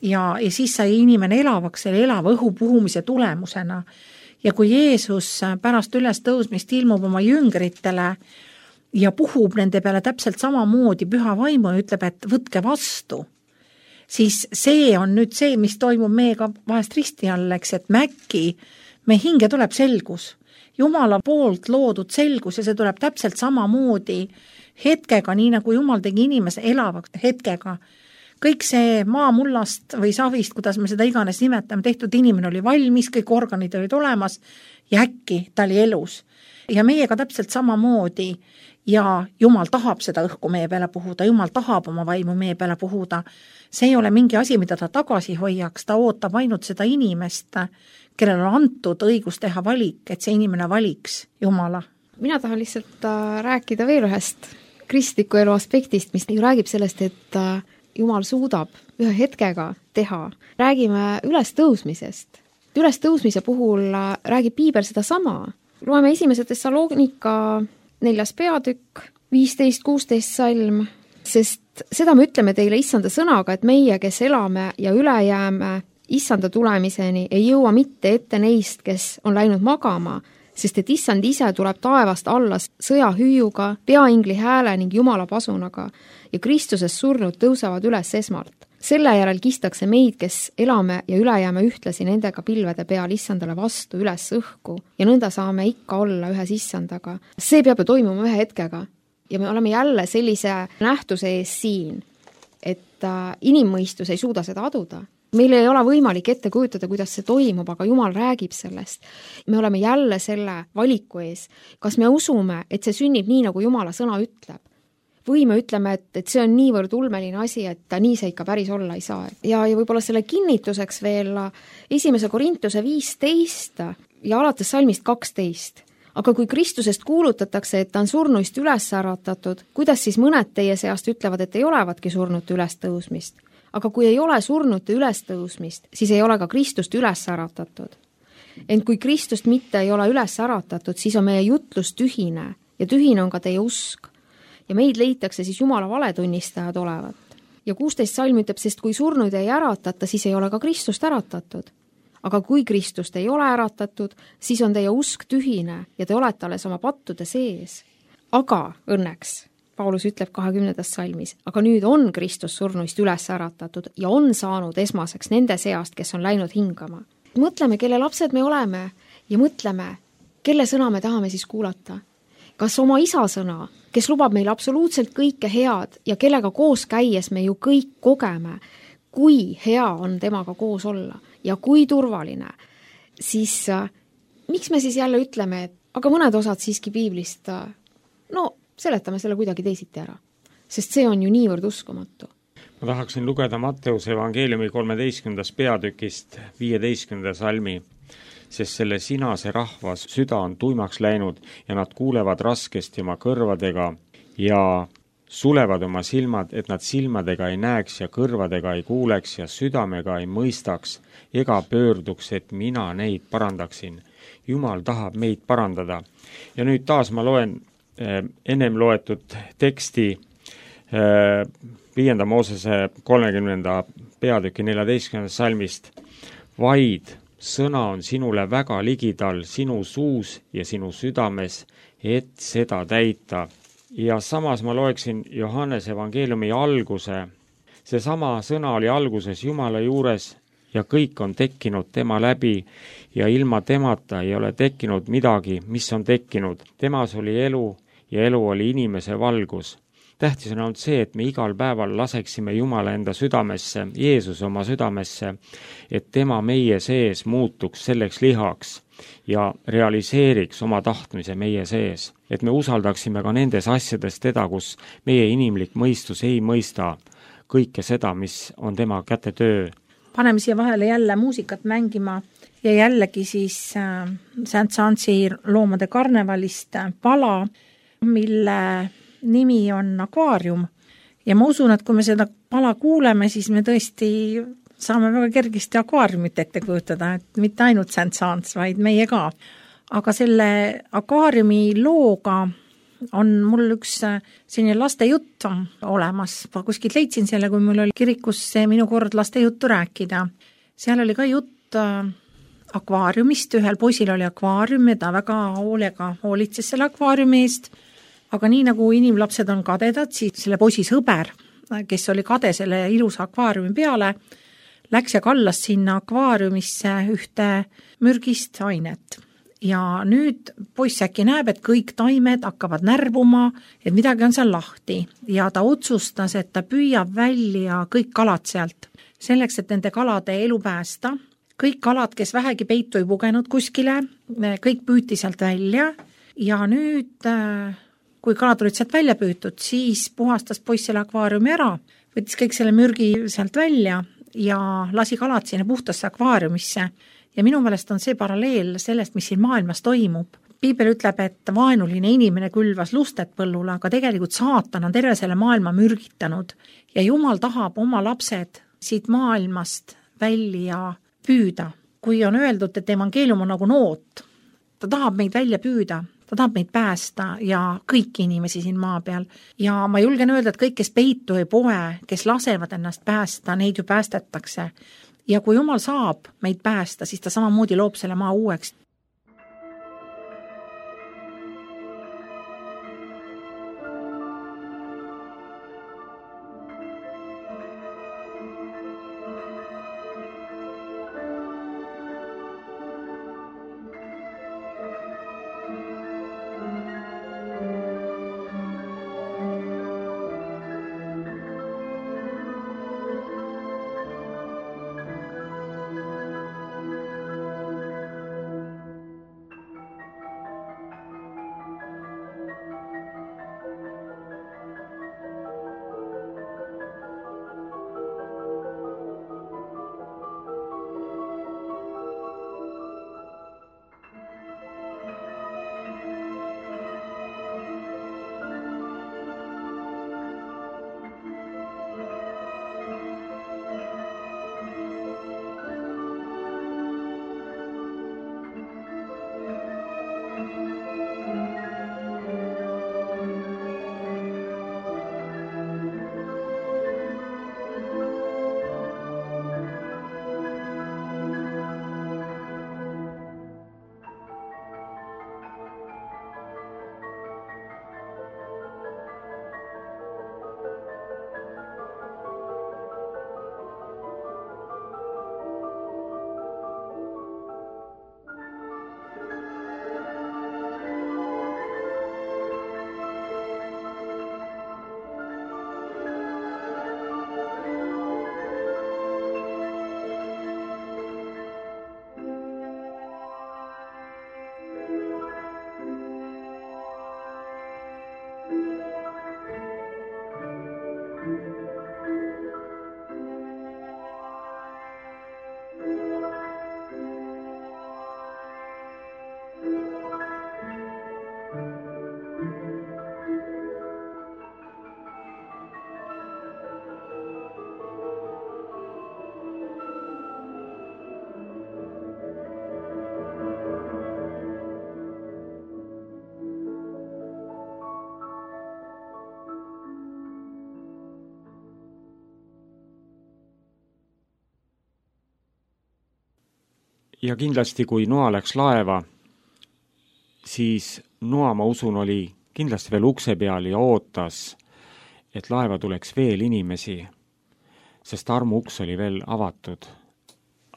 ja siis sai inimene elavaks selle elava õhu puhumise tulemusena. Ja kui Jeesus pärast ülestõusmist ilmub oma jüngritele ja puhub nende peale täpselt samamoodi püha vaimu ja ütleb, et võtke vastu, siis see on nüüd see, mis toimub meiega vahest risti all, eks, et me hinge tuleb selgus. Jumala poolt loodud selgus ja see tuleb täpselt samamoodi hetkega, nii nagu Jumal tegi inimese elavaks hetkega. Kõik see maamullast või savist, kuidas me seda iganes nimetame, tehtud inimene oli valmis, kõik organid olid olemas ja äkki ta oli elus. Ja meiega täpselt samamoodi ja Jumal tahab seda õhku meie peale puhuda, Jumal tahab oma vaimu meie peale puhuda. See ei ole mingi asi, mida ta tagasi hoiaks, ta ootab ainult seda inimest, kellel on antud õigus teha valik, et see inimene valiks Jumala. Mina tahan lihtsalt rääkida veel ühest kristliku elu aspektist, mis ju räägib sellest, et Jumal suudab 1 hetkega teha. Räägime ülestõusmisest. Ülestõusmise puhul räägib Piibel seda sama. Loeme 1. Thessalonika 4. peatükk, 15-16 salm, sest seda me ütleme teile issanda sõnaga, et meie, kes elame ja üle jääme issanda tulemiseni, ei jõua mitte ette neist, kes on läinud magama, sest et issand ise tuleb taevast alla sõjahüüuga, peaingli hääle ning Jumala pasunaga ja Kristuses surnud tõusevad üles esmalt. Selle järel kistakse meid, kes elame ja üle jääme ühtlasi nendega pilvede peal issandale vastu üles õhku ja nõnda saame ikka olla ühes issandaga. See peab ju toimuma 1 hetkega ja me oleme jälle sellise nähtuse ees siin, et inimmõistus ei suuda seda aduda. Meil ei ole võimalik ette kujutada, kuidas see toimub, aga Jumal räägib sellest. Me oleme jälle selle valiku ees. Kas me usume, et see sünnib nii, nagu Jumala sõna ütleb? Või me ütleme, et see on niivõrd ulmeline asi, et nii see ikka päris olla ei saa. Ja võib-olla selle kinnituseks veel 1. Korintuse 15 ja alates salmist 12. Aga kui Kristusest kuulutatakse, et ta on surnuist üles äratatud, kuidas siis mõned teie seast ütlevad, et ei olevatki surnute ülestõusmist? Aga kui ei ole surnute ülestõusmist, siis ei ole ka Kristust üles äratatud. Ent kui Kristust mitte ei ole üles äratatud, siis on meie jutlus tühine ja tühine on ka teie usk. Ja meid leitakse siis Jumala valetunnistajad olevat. Ja 16 salm ütleb, sest kui surnuid ei äratata, siis ei ole ka Kristust äratatud. Aga kui Kristust ei ole äratatud, siis on teie usk tühine ja te olete alles oma pattude sees. Aga õnneks Paulus ütleb 20. salmis, aga nüüd on Kristus surnuist üles äratatud ja on saanud esmaseks nende seast, kes on läinud hingama. Mõtleme, kelle lapsed me oleme ja mõtleme, kelle sõna me tahame siis kuulata. Kas oma isa sõna, kes lubab meil absoluutselt kõike head ja kellega koos käies me ju kõik kogeme, kui hea on temaga koos olla ja kui turvaline, siis miks me siis jälle ütleme, et aga mõned osad siiski piiblist, seletame selle kuidagi teisiti ära, sest see on ju niivõrd uskumatu. ma tahaksin lugeda Matteuse evangeeliumi 13. peatükist 15. salmi, sest selle sinase rahva süda on tuimaks läinud ja nad kuulevad raskesti oma kõrvadega ja sulevad oma silmad, et nad silmadega ei näeks ja kõrvadega ei kuuleks ja südamega ei mõistaks ega pöörduks, et mina neid parandaksin. Jumal tahab meid parandada. Ja nüüd taas ma loen ennem loetud teksti 5. Moosese 30. peatüki 14. salmist. Vaid sõna on sinule väga ligidal sinu suus ja sinu südames, et seda täita. Ja samas ma loeksin Johannese evangeeliumi alguse. Seesama sõna oli alguses Jumala juures ja kõik on tekkinud tema läbi ja ilma temata ei ole tekkinud midagi, mis on tekkinud. Temas oli elu ja elu oli inimese valgus. Tähtis on olnud see, et me igal päeval laseksime Jumala enda südamesse, Jeesuse oma südamesse, et tema meie sees muutuks selleks lihaks ja realiseeriks oma tahtmise meie sees. Et me usaldaksime ka nendes asjades teda, kus meie inimlik mõistus ei mõista kõike seda, mis on tema käte töö. Paneme siia vahele jälle muusikat mängima ja jällegi siis Saint-Saënsi loomade karnevalist pala, mille nimi on Akvaarium. Ja ma usun, et kui me seda pala kuuleme, siis me tõesti saame väga kergesti akvaariumit ette kujutada, et mitte ainult Saint-Saëns, vaid meie ka. Aga selle akvaariumi looga on mul üks selline lastejutt olemas. Ma kuskilt leidsin selle, kui mul oli kirikus minu kord lastejuttu rääkida. Seal oli ka jutt akvaariumist, ühel poisil oli akvaarium ja ta väga hoolega hoolitses selle akvaariumi eest. Aga nii nagu inimlapsed on kadedad, siis selle poisi sõber, kes oli kade selle ilusa akvaariumi peale, läks ja kallas sinna akvaariumisse ühte mürgist ainet. Ja nüüd poiss äkki näeb, et kõik taimed hakkavad närvuma, et midagi on seal lahti. Ja ta otsustas, et ta püüab välja kõik kalad sealt. Selleks, et nende kalade elu päästa. Kõik kalad, kes vähegi peitu ei pugenud kuskile, kõik püüti sealt välja. Ja nüüd, kui kalad olid sealt välja püütud, siis puhastas poiss selle akvaariumi ära. Võttis kõik selle mürgi sealt välja ja lasi kalad sinna puhtasse akvaariumisse. Ja minu meelest on see paralleel sellest, mis siin maailmas toimub. Piibel ütleb, et vaenuline inimene külvas lustet põllule, aga tegelikult saatan on terve selle maailma mürgitanud. Ja Jumal tahab oma lapsed siit maailmast välja püüda. Kui on öeldud, et evangeelium on nagu noot, ta tahab meid välja püüda, ta tahab meid päästa ja kõiki inimesi siin maa peal. Ja ma julgen öelda, et kõik, kes peitu ei poe, kes lasevad ennast päästa, neid ju päästetakse. Ja kui Jumal saab meid päästa, siis ta samamoodi loob selle maa uueks. ja kindlasti, kui noa läks laeva, siis noa, ma usun, oli kindlasti veel ukse peal ja ootas, et laeva tuleks veel inimesi, sest armuuks oli veel avatud.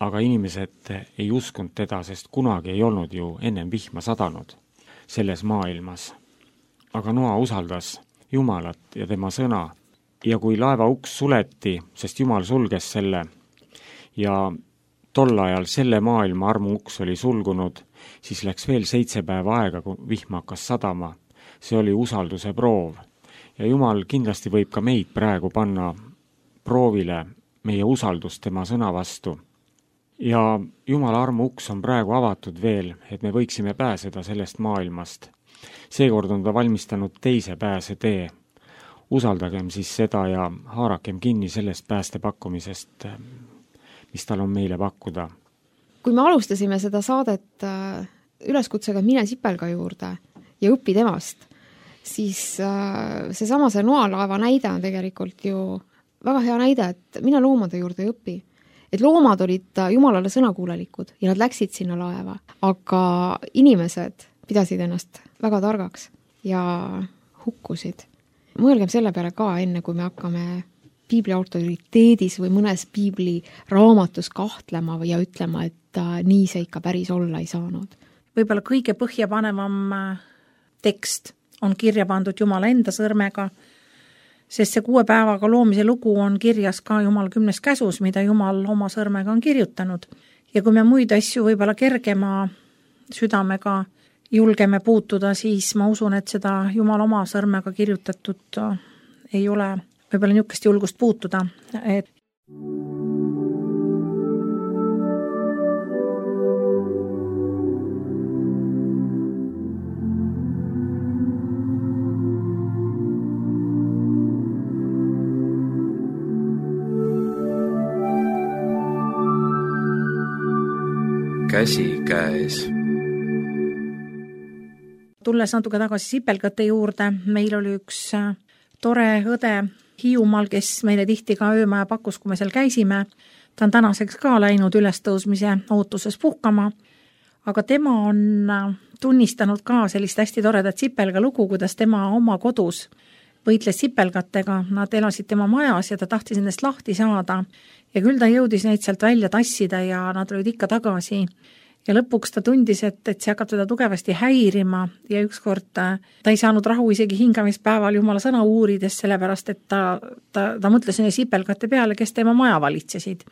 Aga inimesed ei uskunud teda, sest kunagi ei olnud ju ennem vihma sadanud selles maailmas. Aga noa usaldas Jumalat ja tema sõna. Ja kui laeva uks suleti, sest Jumal sulges selle, ja tol ajal selle maailma armuuks oli sulgunud, siis läks veel 7 päeva aega, kui vihma hakkas sadama. See oli usalduse proov. Ja Jumal kindlasti võib ka meid praegu panna proovile meie usaldust tema sõna vastu. Ja Jumala armuuks on praegu avatud veel, et me võiksime pääseda sellest maailmast. Seekord on ta valmistanud teise pääsetee. Usaldagem siis seda ja haarakem kinni sellest päästepakkumisest, mis tal on meile pakkuda. Kui me alustasime seda saadet üleskutsega mine Sipelga juurde ja õpi temast, siis see noalaeva näide on tegelikult ju väga hea näide, et mine loomade juurde ja õpi. Et loomad olid Jumalale sõnakuulelikud ja nad läksid sinna laeva, aga inimesed pidasid ennast väga targaks ja hukkusid. Mõelgem selle peale ka enne, kui me hakkame piibli autoriteedis või mõnes piibli raamatus kahtlema ja ütlema, et nii see ikka päris olla ei saanud. Võib-olla kõige põhjapanevam tekst on kirja pandud Jumala enda sõrmega, sest see 6 päevaga loomise lugu on kirjas ka Jumala 10 käsus, mida Jumal oma sõrmega on kirjutanud. Ja kui me muid asju võib-olla kergema südamega julgeme puutuda, siis ma usun, et seda Jumala oma sõrmega kirjutatud ei ole võib-olla niisugust julgust puutuda. Et käsikäes. Tulles natuke tagasi Sipelgate juurde, meil oli üks tore õde Hiiumaal, kes meile tihti ka öömaja pakkus, kui me seal käisime. Ta on tänaseks ka läinud ülestõusmise ootuses puhkama, aga tema on tunnistanud ka sellist hästi toredat Sipelga lugu, kuidas tema oma kodus võitles sipelgatega. Nad elasid tema majas ja ta tahtis nendest lahti saada ja küll ta jõudis neid sealt välja tassida ja nad olid ikka tagasi. Ja lõpuks ta tundis, et see hakkab teda tugevasti häirima ja ükskord ta ei saanud rahu isegi hingamispäeval Jumala sõna uurides, sellepärast et ta mõtles neile sipelgate peale, kes tema maja valitsesid.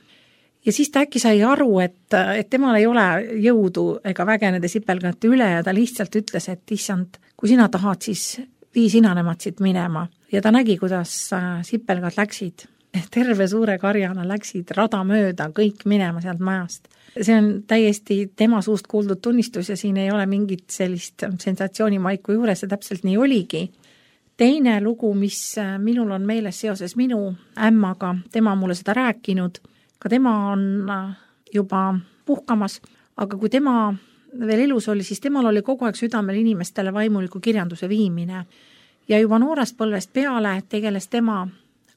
Ja siis ta äkki sai aru, et temal ei ole jõudu ega väge nende sipelgate üle ja ta lihtsalt ütles, et issand, kui sina tahad, siis vii sina nemad siit minema. Ja ta nägi, kuidas sipelgad läksid, terve suure karjana läksid rada mööda kõik minema sealt majast. See on täiesti tema suust kuuldud tunnistus ja siin ei ole mingit sellist sensatsioonimaiku juures, see täpselt nii oligi. Teine lugu, mis minul on meeles seoses minu ämmaga, tema mulle seda rääkinud, ka tema on juba puhkamas, aga kui tema veel elus oli, siis temal oli kogu aeg südamel inimestele vaimuliku kirjanduse viimine. Ja juba noorest põlvest peale tegeles tema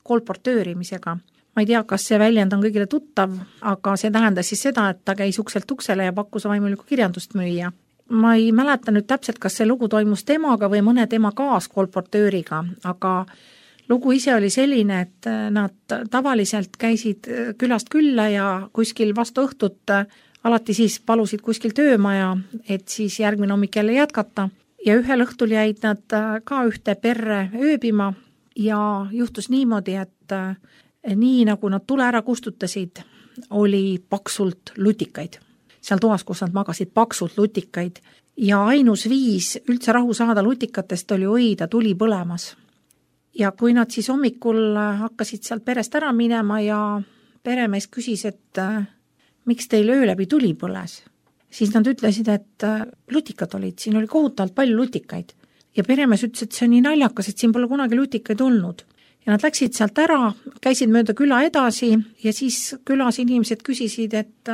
kolportöörimisega. Ma ei tea, kas see väljend on kõigile tuttav, aga see tähendas siis seda, et ta käis ukselt uksele ja pakkus vaimulikku kirjandust müüa. Ma ei mäleta nüüd täpselt, kas see lugu toimus temaga või mõne tema kaaskolportööriga, aga lugu ise oli selline, et nad tavaliselt käisid külast külla ja kuskil vastu õhtut alati siis palusid kuskil töömaja, et siis järgmine hommik jälle jätkata. Ja ühel õhtul jäid nad ka ühte perre ööbima ja juhtus niimoodi, et nii nagu nad tule ära kustutasid, oli paksult lutikaid. Seal toas, kus nad magasid, paksult lutikaid. Ja ainus viis üldse rahu saada lutikatest oli hoida tuli põlemas. Ja kui nad siis hommikul hakkasid sealt perest ära minema ja peremees küsis, et miks teil öö läbi tuli põles, siis nad ütlesid, et lutikad olid, siin oli kohutavalt palju lutikaid. Ja peremees ütles, et see on nii naljakas, et siin pole kunagi lutikaid olnud. Ja nad läksid sealt ära, käisid mööda küla edasi ja siis külas inimesed küsisid, et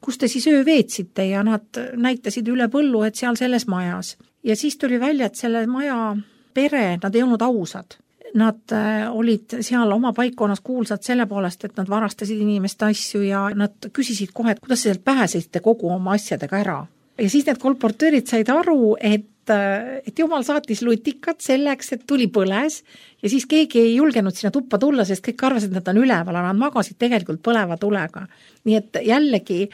kus te siis öö veetsite ja nad näitasid üle põllu, et seal selles majas. Ja siis tuli välja, et selle maja pere, nad ei olnud ausad. nad olid seal oma paikkonnas kuulsad selle poolest, et nad varastasid inimeste asju ja nad küsisid kohe, et kuidas sealt pääsesite kogu oma asjadega ära. Ja siis need kolportöörid said aru, et jumal saatis lutikad selleks, et tuli põles ja siis keegi ei julgenud sinna tuppa tulla, sest kõik arvasid, et nad on üleval, aga nad magasid tegelikult põleva tulega. Nii et jällegi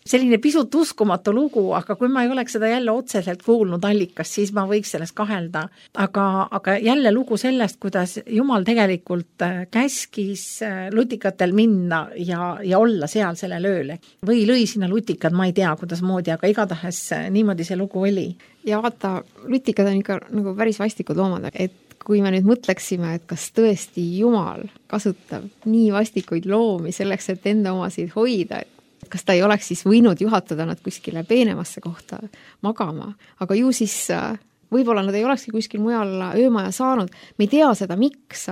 selline pisut uskumatu lugu, aga kui ma ei oleks seda jälle otseselt kuulnud allikast, siis ma võiks sellest kahelda. Aga jälle lugu sellest, kuidas Jumal tegelikult käskis lutikatel minna ja olla seal sellel ööl. Või lõi sinna lutikad, ma ei tea, kuidas moodi, aga igatahes niimoodi see lugu oli. Ja vaata, lutikad on ikka nagu päris vastikud loomad, et kui me nüüd mõtleksime, et kas tõesti Jumal kasutab nii vastikuid loomi selleks, et enda omasid hoida, kas ta ei oleks siis võinud juhatada nad kuskile peenemasse kohta magama, aga ju siis võib-olla nad ei olekski kuskil mujal öömaja saanud, me ei tea seda, miks.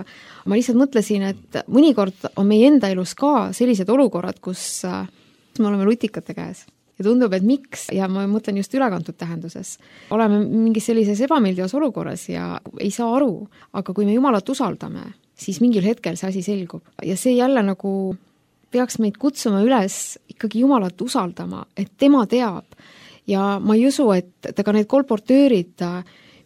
Ma lihtsalt mõtlesin, et mõnikord on meie enda elus ka sellised olukorrad, kus me oleme lutikate käes. Ja tundub, et miks, ja ma mõtlen just ülekantud tähenduses. Oleme mingis sellises ebameeldivas olukorras ja ei saa aru, aga kui me Jumalat usaldame, siis mingil hetkel see asi selgub. Ja see jälle nagu peaks meid kutsuma üles ikkagi Jumalat usaldama, et tema teab. Ja ma ei usu, et ka need kolportöörid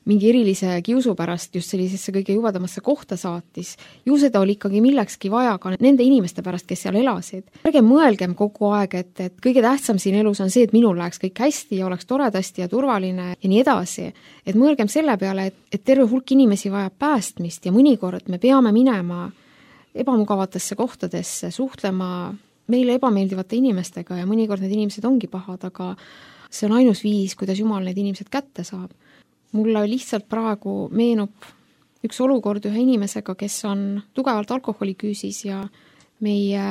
mingi erilise kiusu pärast just sellisesse kõige jubedamasse kohta saatis. Ju seda oli ikkagi millekski vaja ka nende inimeste pärast, kes seal elasid. Ärge mõelgem kogu aeg, et kõige tähtsam siin elus on see, et minul läheks kõik hästi ja oleks toredasti ja turvaline ja nii edasi. Et mõelgem selle peale, et terve hulk inimesi vajab päästmist ja mõnikord me peame minema ebamugavatesse kohtadesse, suhtlema meile ebameeldivate inimestega ja mõnikord need inimesed ongi pahad, aga see on ainus viis, kuidas Jumal need inimesed kätte saab. Mulle lihtsalt praegu meenub üks olukord ühe inimesega, kes on tugevalt alkoholiküüsis ja meie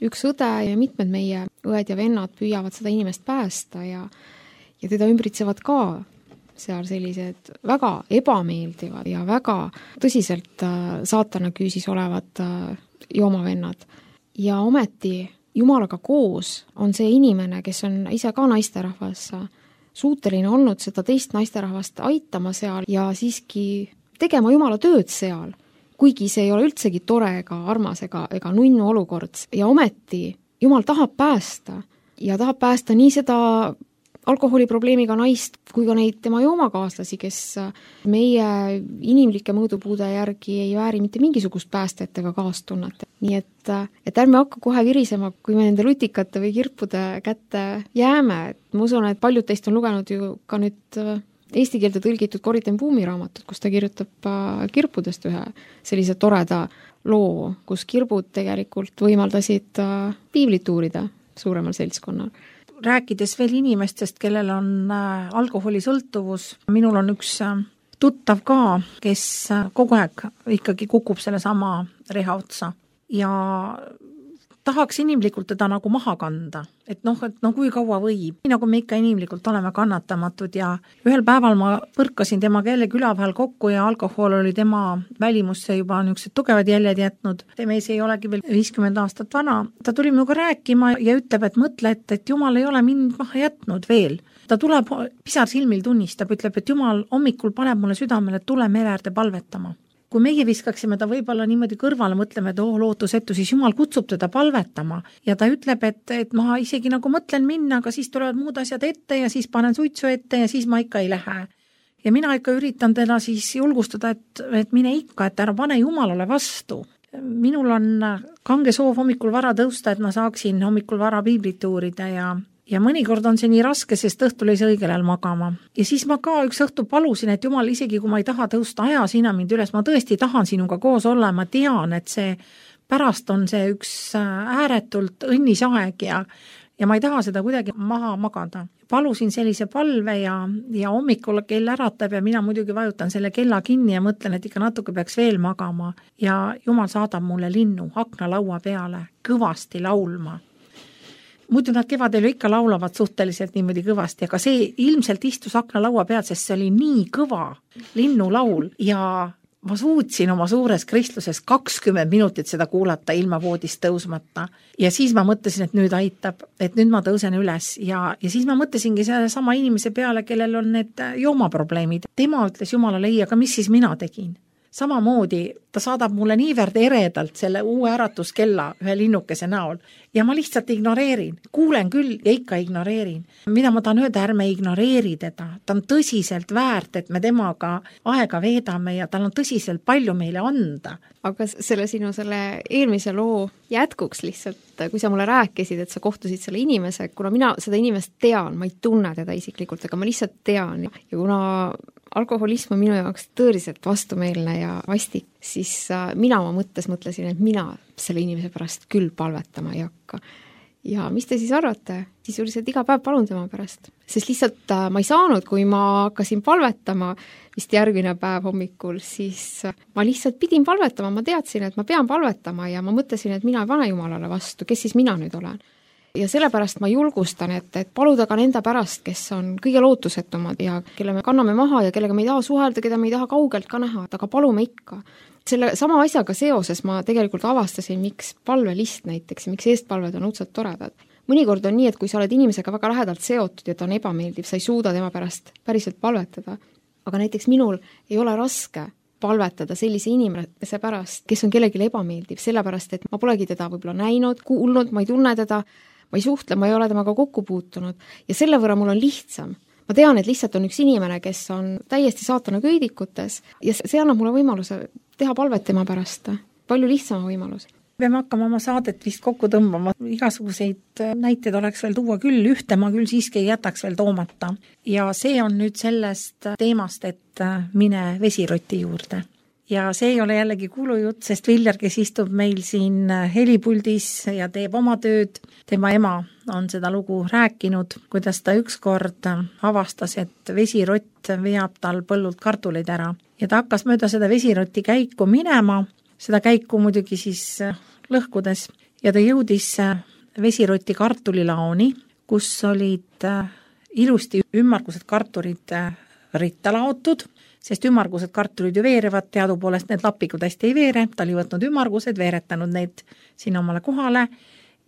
üks õde ja mitmed meie õed ja vennad püüavad seda inimest päästa ja teda ümbritsevad ka seal sellised väga ebameeldivad ja väga tõsiselt saatana küüsis olevad joomavennad. Ja ometi Jumalaga koos on see inimene, kes on ise ka naisterahvas, suuteline olnud seda teist naisterahvast aitama seal ja siiski tegema Jumala tööd seal, kuigi see ei ole üldsegi tore ega armas ega nunnu olukord. Ja ometi Jumal tahab päästa ja tahab päästa nii seda alkoholiprobleemiga naist kui ka neid tema joomakaaslasi, kes meie inimlike mõõdupuude järgi ei vääri mitte mingisugust päästet ega kaastunnet. Nii et ärme hakka kohe virisema, kui me nende lutikate või kirpude kätte jääme. Ma usun, et paljud teist on lugenud ju ka nüüd eesti keelde tõlgitud Corrie ten Boom'i raamatut, kus ta kirjutab kirpudest ühe sellise toreda loo, kus kirbud tegelikult võimaldasid piiblit uurida suuremal seltskonnal. Rääkides veel inimestest, kellel on alkoholisõltuvus, minul on üks tuttav ka, kes kogu aeg ikkagi kukub selle sama reha otsa ja tahaks inimlikult teda nagu maha kanda, et kui kaua võib. Nii nagu me ikka inimlikult oleme kannatamatud ja ühel päeval ma põrkasin temaga jälle küla vahel kokku ja alkohol oli tema välimusse juba niisugused tugevad jäljed jätnud. Mees ei olegi veel 50 aastat vana. Ta tuli minuga rääkima ja ütleb, et mõtle, et Jumal ei ole mind maha jätnud veel. Ta tuleb pisar silmil tunnistab, ütleb, et Jumal hommikul paneb mulle südamele, et tule mere äärde palvetama. Kui meie viskaksime ta võib-olla niimoodi kõrvale, mõtleme, et lootusetu, siis Jumal kutsub teda palvetama ja ta ütleb, et ma isegi nagu mõtlen minna, aga siis tulevad muud asjad ette ja siis panen suitsu ette ja siis ma ikka ei lähe. Ja mina ikka üritan teda siis julgustada, et mine ikka, et ära pane Jumalale vastu. Minul on kange soov hommikul vara tõusta, et ma saaksin hommikul vara piiblit uurida ja mõnikord on see nii raske, sest õhtul ei saa õigel ajal magama. Ja siis ma ka üks õhtu palusin, et Jumal, isegi kui ma ei taha tõusta, aja sina mind üles, ma tõesti tahan sinuga koos olla, ma tean, et see pärast on see üks ääretult õnnis aeg ja ma ei taha seda kuidagi maha magada. Palusin sellise palve ja hommikul kell äratab ja mina muidugi vajutan selle kella kinni ja mõtlen, et ikka natuke peaks veel magama ja Jumal saadab mulle linnu aknalaua peale kõvasti laulma. Muidu nad kevadel ikka laulavad suhteliselt niimoodi kõvasti, aga see ilmselt istus aknalaua peal, sest see oli nii kõva linnulaul ja ma suutsin oma suures kristluses 20 minutit seda kuulata ilma voodist tõusmata. Ja siis ma mõtlesin, et nüüd aitab, et nüüd ma tõusen üles ja siis ma mõtlesingi selle sama inimese peale, kellel on need joomaprobleemid. Tema ütles Jumalale ei, aga mis siis mina tegin? samamoodi ta saadab mulle niivõrd eredalt selle uue äratuskella ühe linnukese näol ja ma lihtsalt ignoreerin, kuulen küll ja ikka ignoreerin. Mida ma tahan öelda, ärme ignoreeri teda, ta on tõsiselt väärt, et me temaga aega veedame ja tal on tõsiselt palju meile anda. Aga selle eelmise loo jätkuks lihtsalt, kui sa mulle rääkisid, et sa kohtusid selle inimese, kuna mina seda inimest tean, ma ei tunne teda isiklikult, aga ma lihtsalt tean ja kuna alkoholism on minu jaoks tõeliselt vastumeelne ja vastik, siis mina oma mõttes mõtlesin, et mina selle inimese pärast küll palvetama ei hakka. Ja mis te siis arvate? Sisuliselt iga päev palun tema pärast. Sest lihtsalt ma ei saanud, kui ma hakkasin palvetama vist järgmine päev hommikul, siis ma lihtsalt pidin palvetama, ma teadsin, et ma pean palvetama ja ma mõtlesin, et mina ei pane Jumalale vastu, kes siis mina nüüd olen. Ja sellepärast ma julgustan, et paluda ka nende pärast, kes on kõige lootusetumad ja kelle me kanname maha ja kellega me ei taha suhelda, keda me ei taha kaugelt ka näha, aga palume ikka. Selle sama asjaga seoses ma tegelikult avastasin, miks palvelist näiteks ja miks eestpalved on õudselt toredad. Mõnikord on nii, et kui sa oled inimesega väga lähedalt seotud ja ta on ebameeldiv, sa ei suuda tema pärast päriselt palvetada. Aga näiteks minul ei ole raske palvetada sellise inimese pärast, kes on kellelegi ebameeldiv, sellepärast et ma polegi teda võib-olla näinud, kuulnud, ma ei tunne teda, ma ei suhtle, ma ei ole temaga kokku puutunud ja selle võrra mul on lihtsam. Ma tean, et lihtsalt on üks inimene, kes on täiesti saatana köidikutes ja see annab mulle võimaluse teha palvet tema pärast. Palju lihtsama võimalus. Peame hakkama oma saadet vist kokku tõmbama. Igasuguseid näiteid oleks veel tuua küll, ühte ma küll siiski ei jätaks veel toomata. Ja see on nüüd sellest teemast, et mine vesiroti juurde. Ja see ei ole jällegi kuulujutt, sest Viljar, kes istub meil siin helipuldis ja teeb oma tööd, tema ema on seda lugu rääkinud, kuidas ta ükskord avastas, et vesirott veab tal põllult kartuleid ära. Ja ta hakkas mööda seda vesiroti käiku minema, seda käiku muidugi siis lõhkudes, ja ta jõudis vesiroti kartulilaoni, kus olid ilusti ümmargused kartulid ritta laotud, sest ümmargused kartulid ju veerevad, teadupoolest need lapikud hästi ei veere, ta oli võtnud ümmargused, veeretanud neid sinna omale kohale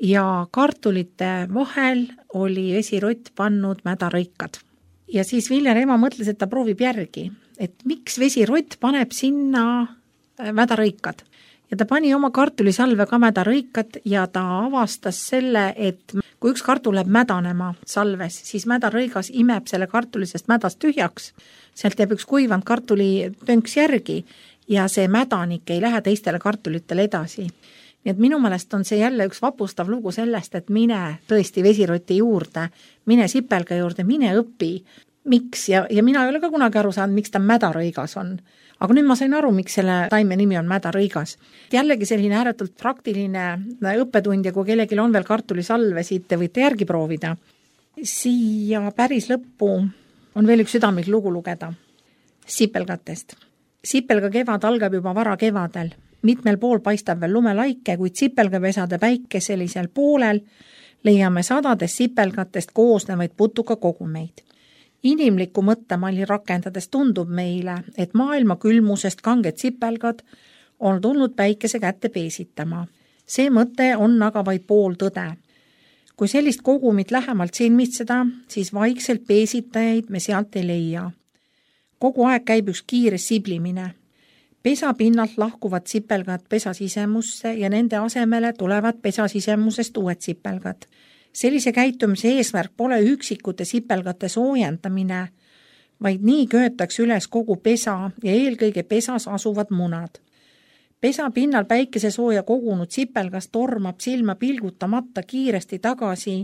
ja kartulite vahel oli vesirott pannud mädarõikad. Ja siis Viljar ema mõtles, et ta proovib järgi, et miks vesirott paneb sinna mädarõikad. Ja ta pani oma kartulisalve ka mädarõikad ja ta avastas selle, et kui üks kartul läheb mädanema salves, siis mädarõigas imeb selle kartulisest mädast tühjaks, sealt jääb üks kuivanud kartulitönks järgi ja see mädanik ei lähe teistele kartulitele edasi. Nii et minu meelest on see jälle üks vapustav lugu sellest, et mine tõesti vesiroti juurde, mine sipelga juurde, mine õpi, miks ja mina ei ole ka kunagi aru saanud, miks ta mädarõigas on. Aga nüüd ma sain aru, miks selle taime nimi on mädarõigas. Jällegi selline ääretult praktiline õppetund ja kui kellelgi on veel kartulisalvesid, te võite järgi proovida. Siia päris lõppu on veel üks südamlik lugu lugeda. Sipelgatest. Sipelga kevad algab juba vara kevadel. Mitmel pool paistab veel lumelaike, kuid sipelgapesade päikeselisel poolel leiame sadades sipelgatest koosnevaid putuka kogumeid. Inimliku mõttemalli rakendades tundub meile, et maailma külmusest kanged sipelgad on tulnud päikese kätte peesitama. See mõte on aga vaid pool tõde. Kui sellist kogumit lähemalt silmitseda, siis vaikselt peesitajaid me sealt ei leia. Kogu aeg käib üks kiire siblimine. Pesa pinnalt lahkuvad sipelgad pesa sisemusse ja nende asemele tulevad pesa sisemusest uued sipelgad. Sellise käitumise eesmärk pole üksikute sipelgate soojendamine, vaid nii köetakse üles kogu pesa ja eelkõige pesas asuvad munad. Pesa pinnal päikese sooja kogunud sipelgas tormab silma pilgutamata kiiresti tagasi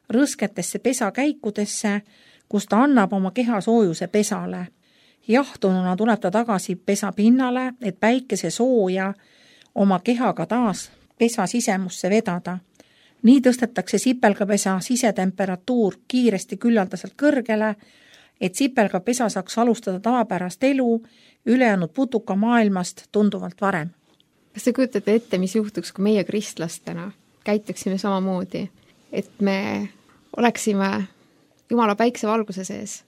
rõsketesse pesakäikudesse, kus ta annab oma keha soojuse pesale. Jahtununa tuleb ta tagasi pesa pinnale, et päikese sooja oma kehaga taas pesa sisemusse vedada. Nii tõstetakse sipelgapesa sisetemperatuur kiiresti küllaldaselt kõrgele, et sipelgapesa saaks alustada tavapärast elu ülejäänud putuka maailmast tunduvalt varem. Kas te kujutate ette, mis juhtuks, kui meie kristlastena käituksime samamoodi, et me oleksime Jumala päiksevalguse sees,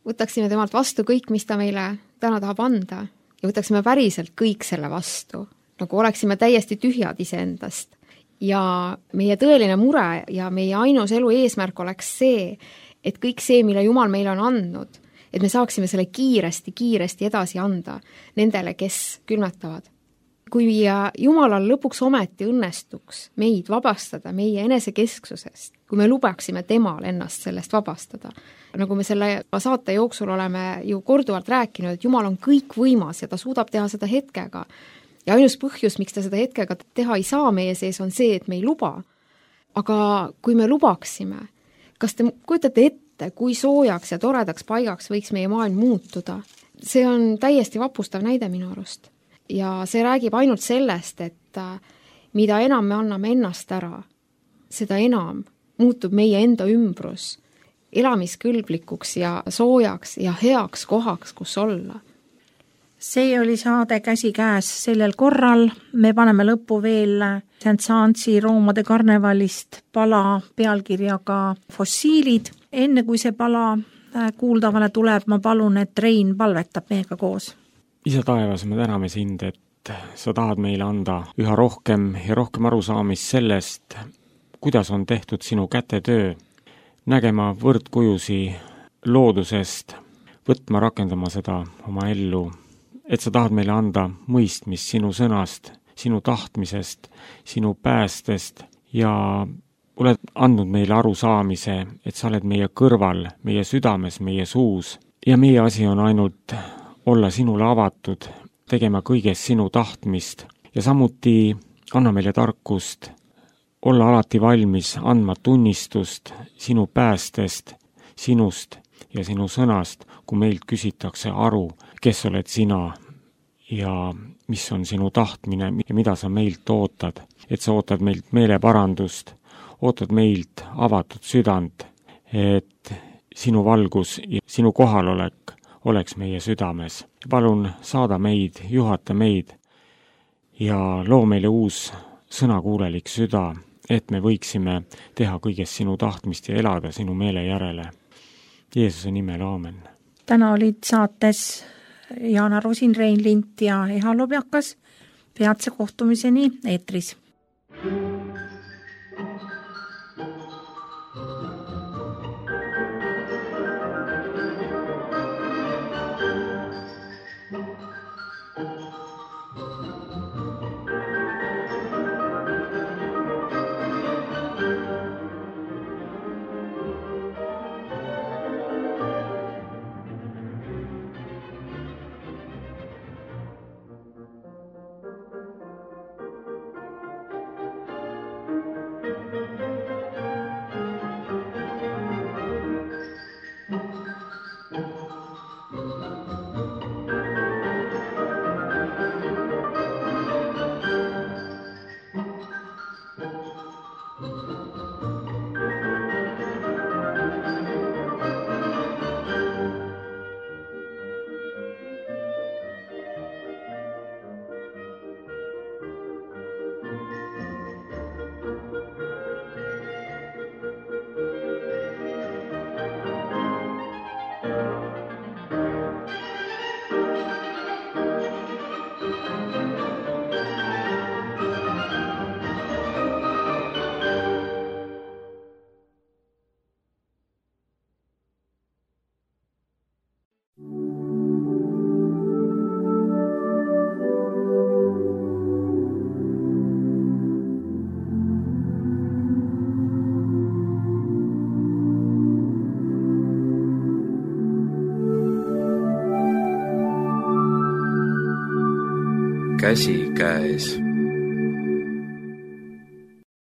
võtaksime temalt vastu kõik, mis ta meile täna tahab anda ja võtaksime päriselt kõik selle vastu, nagu oleksime täiesti tühjad iseendast. Ja meie tõeline mure ja meie ainus elu eesmärk oleks see, et kõik see, mille Jumal meile on andnud, et me saaksime selle kiiresti edasi anda nendele, kes külmetavad. Kui Jumalal lõpuks ometi õnnestuks meid vabastada meie enesekesksusest, kui me lubaksime temal ennast sellest vabastada, nagu me selle saate jooksul oleme ju korduvalt rääkinud, et Jumal on kõik võimas ja ta suudab teha seda hetkega. Ja ainus põhjus, miks ta seda hetkega teha ei saa meie sees, on see, et me ei luba. Aga kui me lubaksime, kas te kujutate ette, kui soojaks ja toredaks paigaks võiks meie maailm muutuda? See on täiesti vapustav näide minu arust. Ja see räägib ainult sellest, et mida enam me anname ennast ära, seda enam muutub meie enda ümbrus elamiskõlblikuks ja soojaks ja heaks kohaks, kus olla. See oli saade Käsikäes sellel korral. Me paneme lõppu veel Saint-Saensi roomade karnevalist pala pealkirjaga Fossiilid. Enne kui see pala kuuldavale tuleb, ma palun, et Rein palvetab meiega koos. Isa taevas, me täname sind, et sa tahad meile anda üha rohkem ja rohkem arusaamist sellest, kuidas on tehtud sinu kätetöö, nägema võrdkujusi loodusest, võtma, rakendama seda oma ellu, et sa tahad meile anda mõistmist sinu sõnast, sinu tahtmisest, sinu päästest ja oled andnud meile arusaamise, et sa oled meie kõrval, meie südames, meie suus ja meie asi on ainult olla sinule avatud, tegema kõigest sinu tahtmist ja samuti anna meile tarkust olla alati valmis andma tunnistust sinu päästest, sinust ja sinu sõnast, kui meilt küsitakse aru, kes oled sina ja mis on sinu tahtmine ja mida sa meilt ootad. Et sa ootad meilt meeleparandust, ootad meilt avatud südant, et sinu valgus ja sinu kohalolek oleks meie südames. Palun saada meid, juhata meid ja loo meile uus sõnakuulelik süda, et me võiksime teha kõigest sinu tahtmist ja elada sinu meele järele. Jeesuse nimel, aamen. Täna olid saates Jana Rosin, Rein Lint ja Eha Lobjakas. Peatse kohtumiseni eetris. Käsikäes.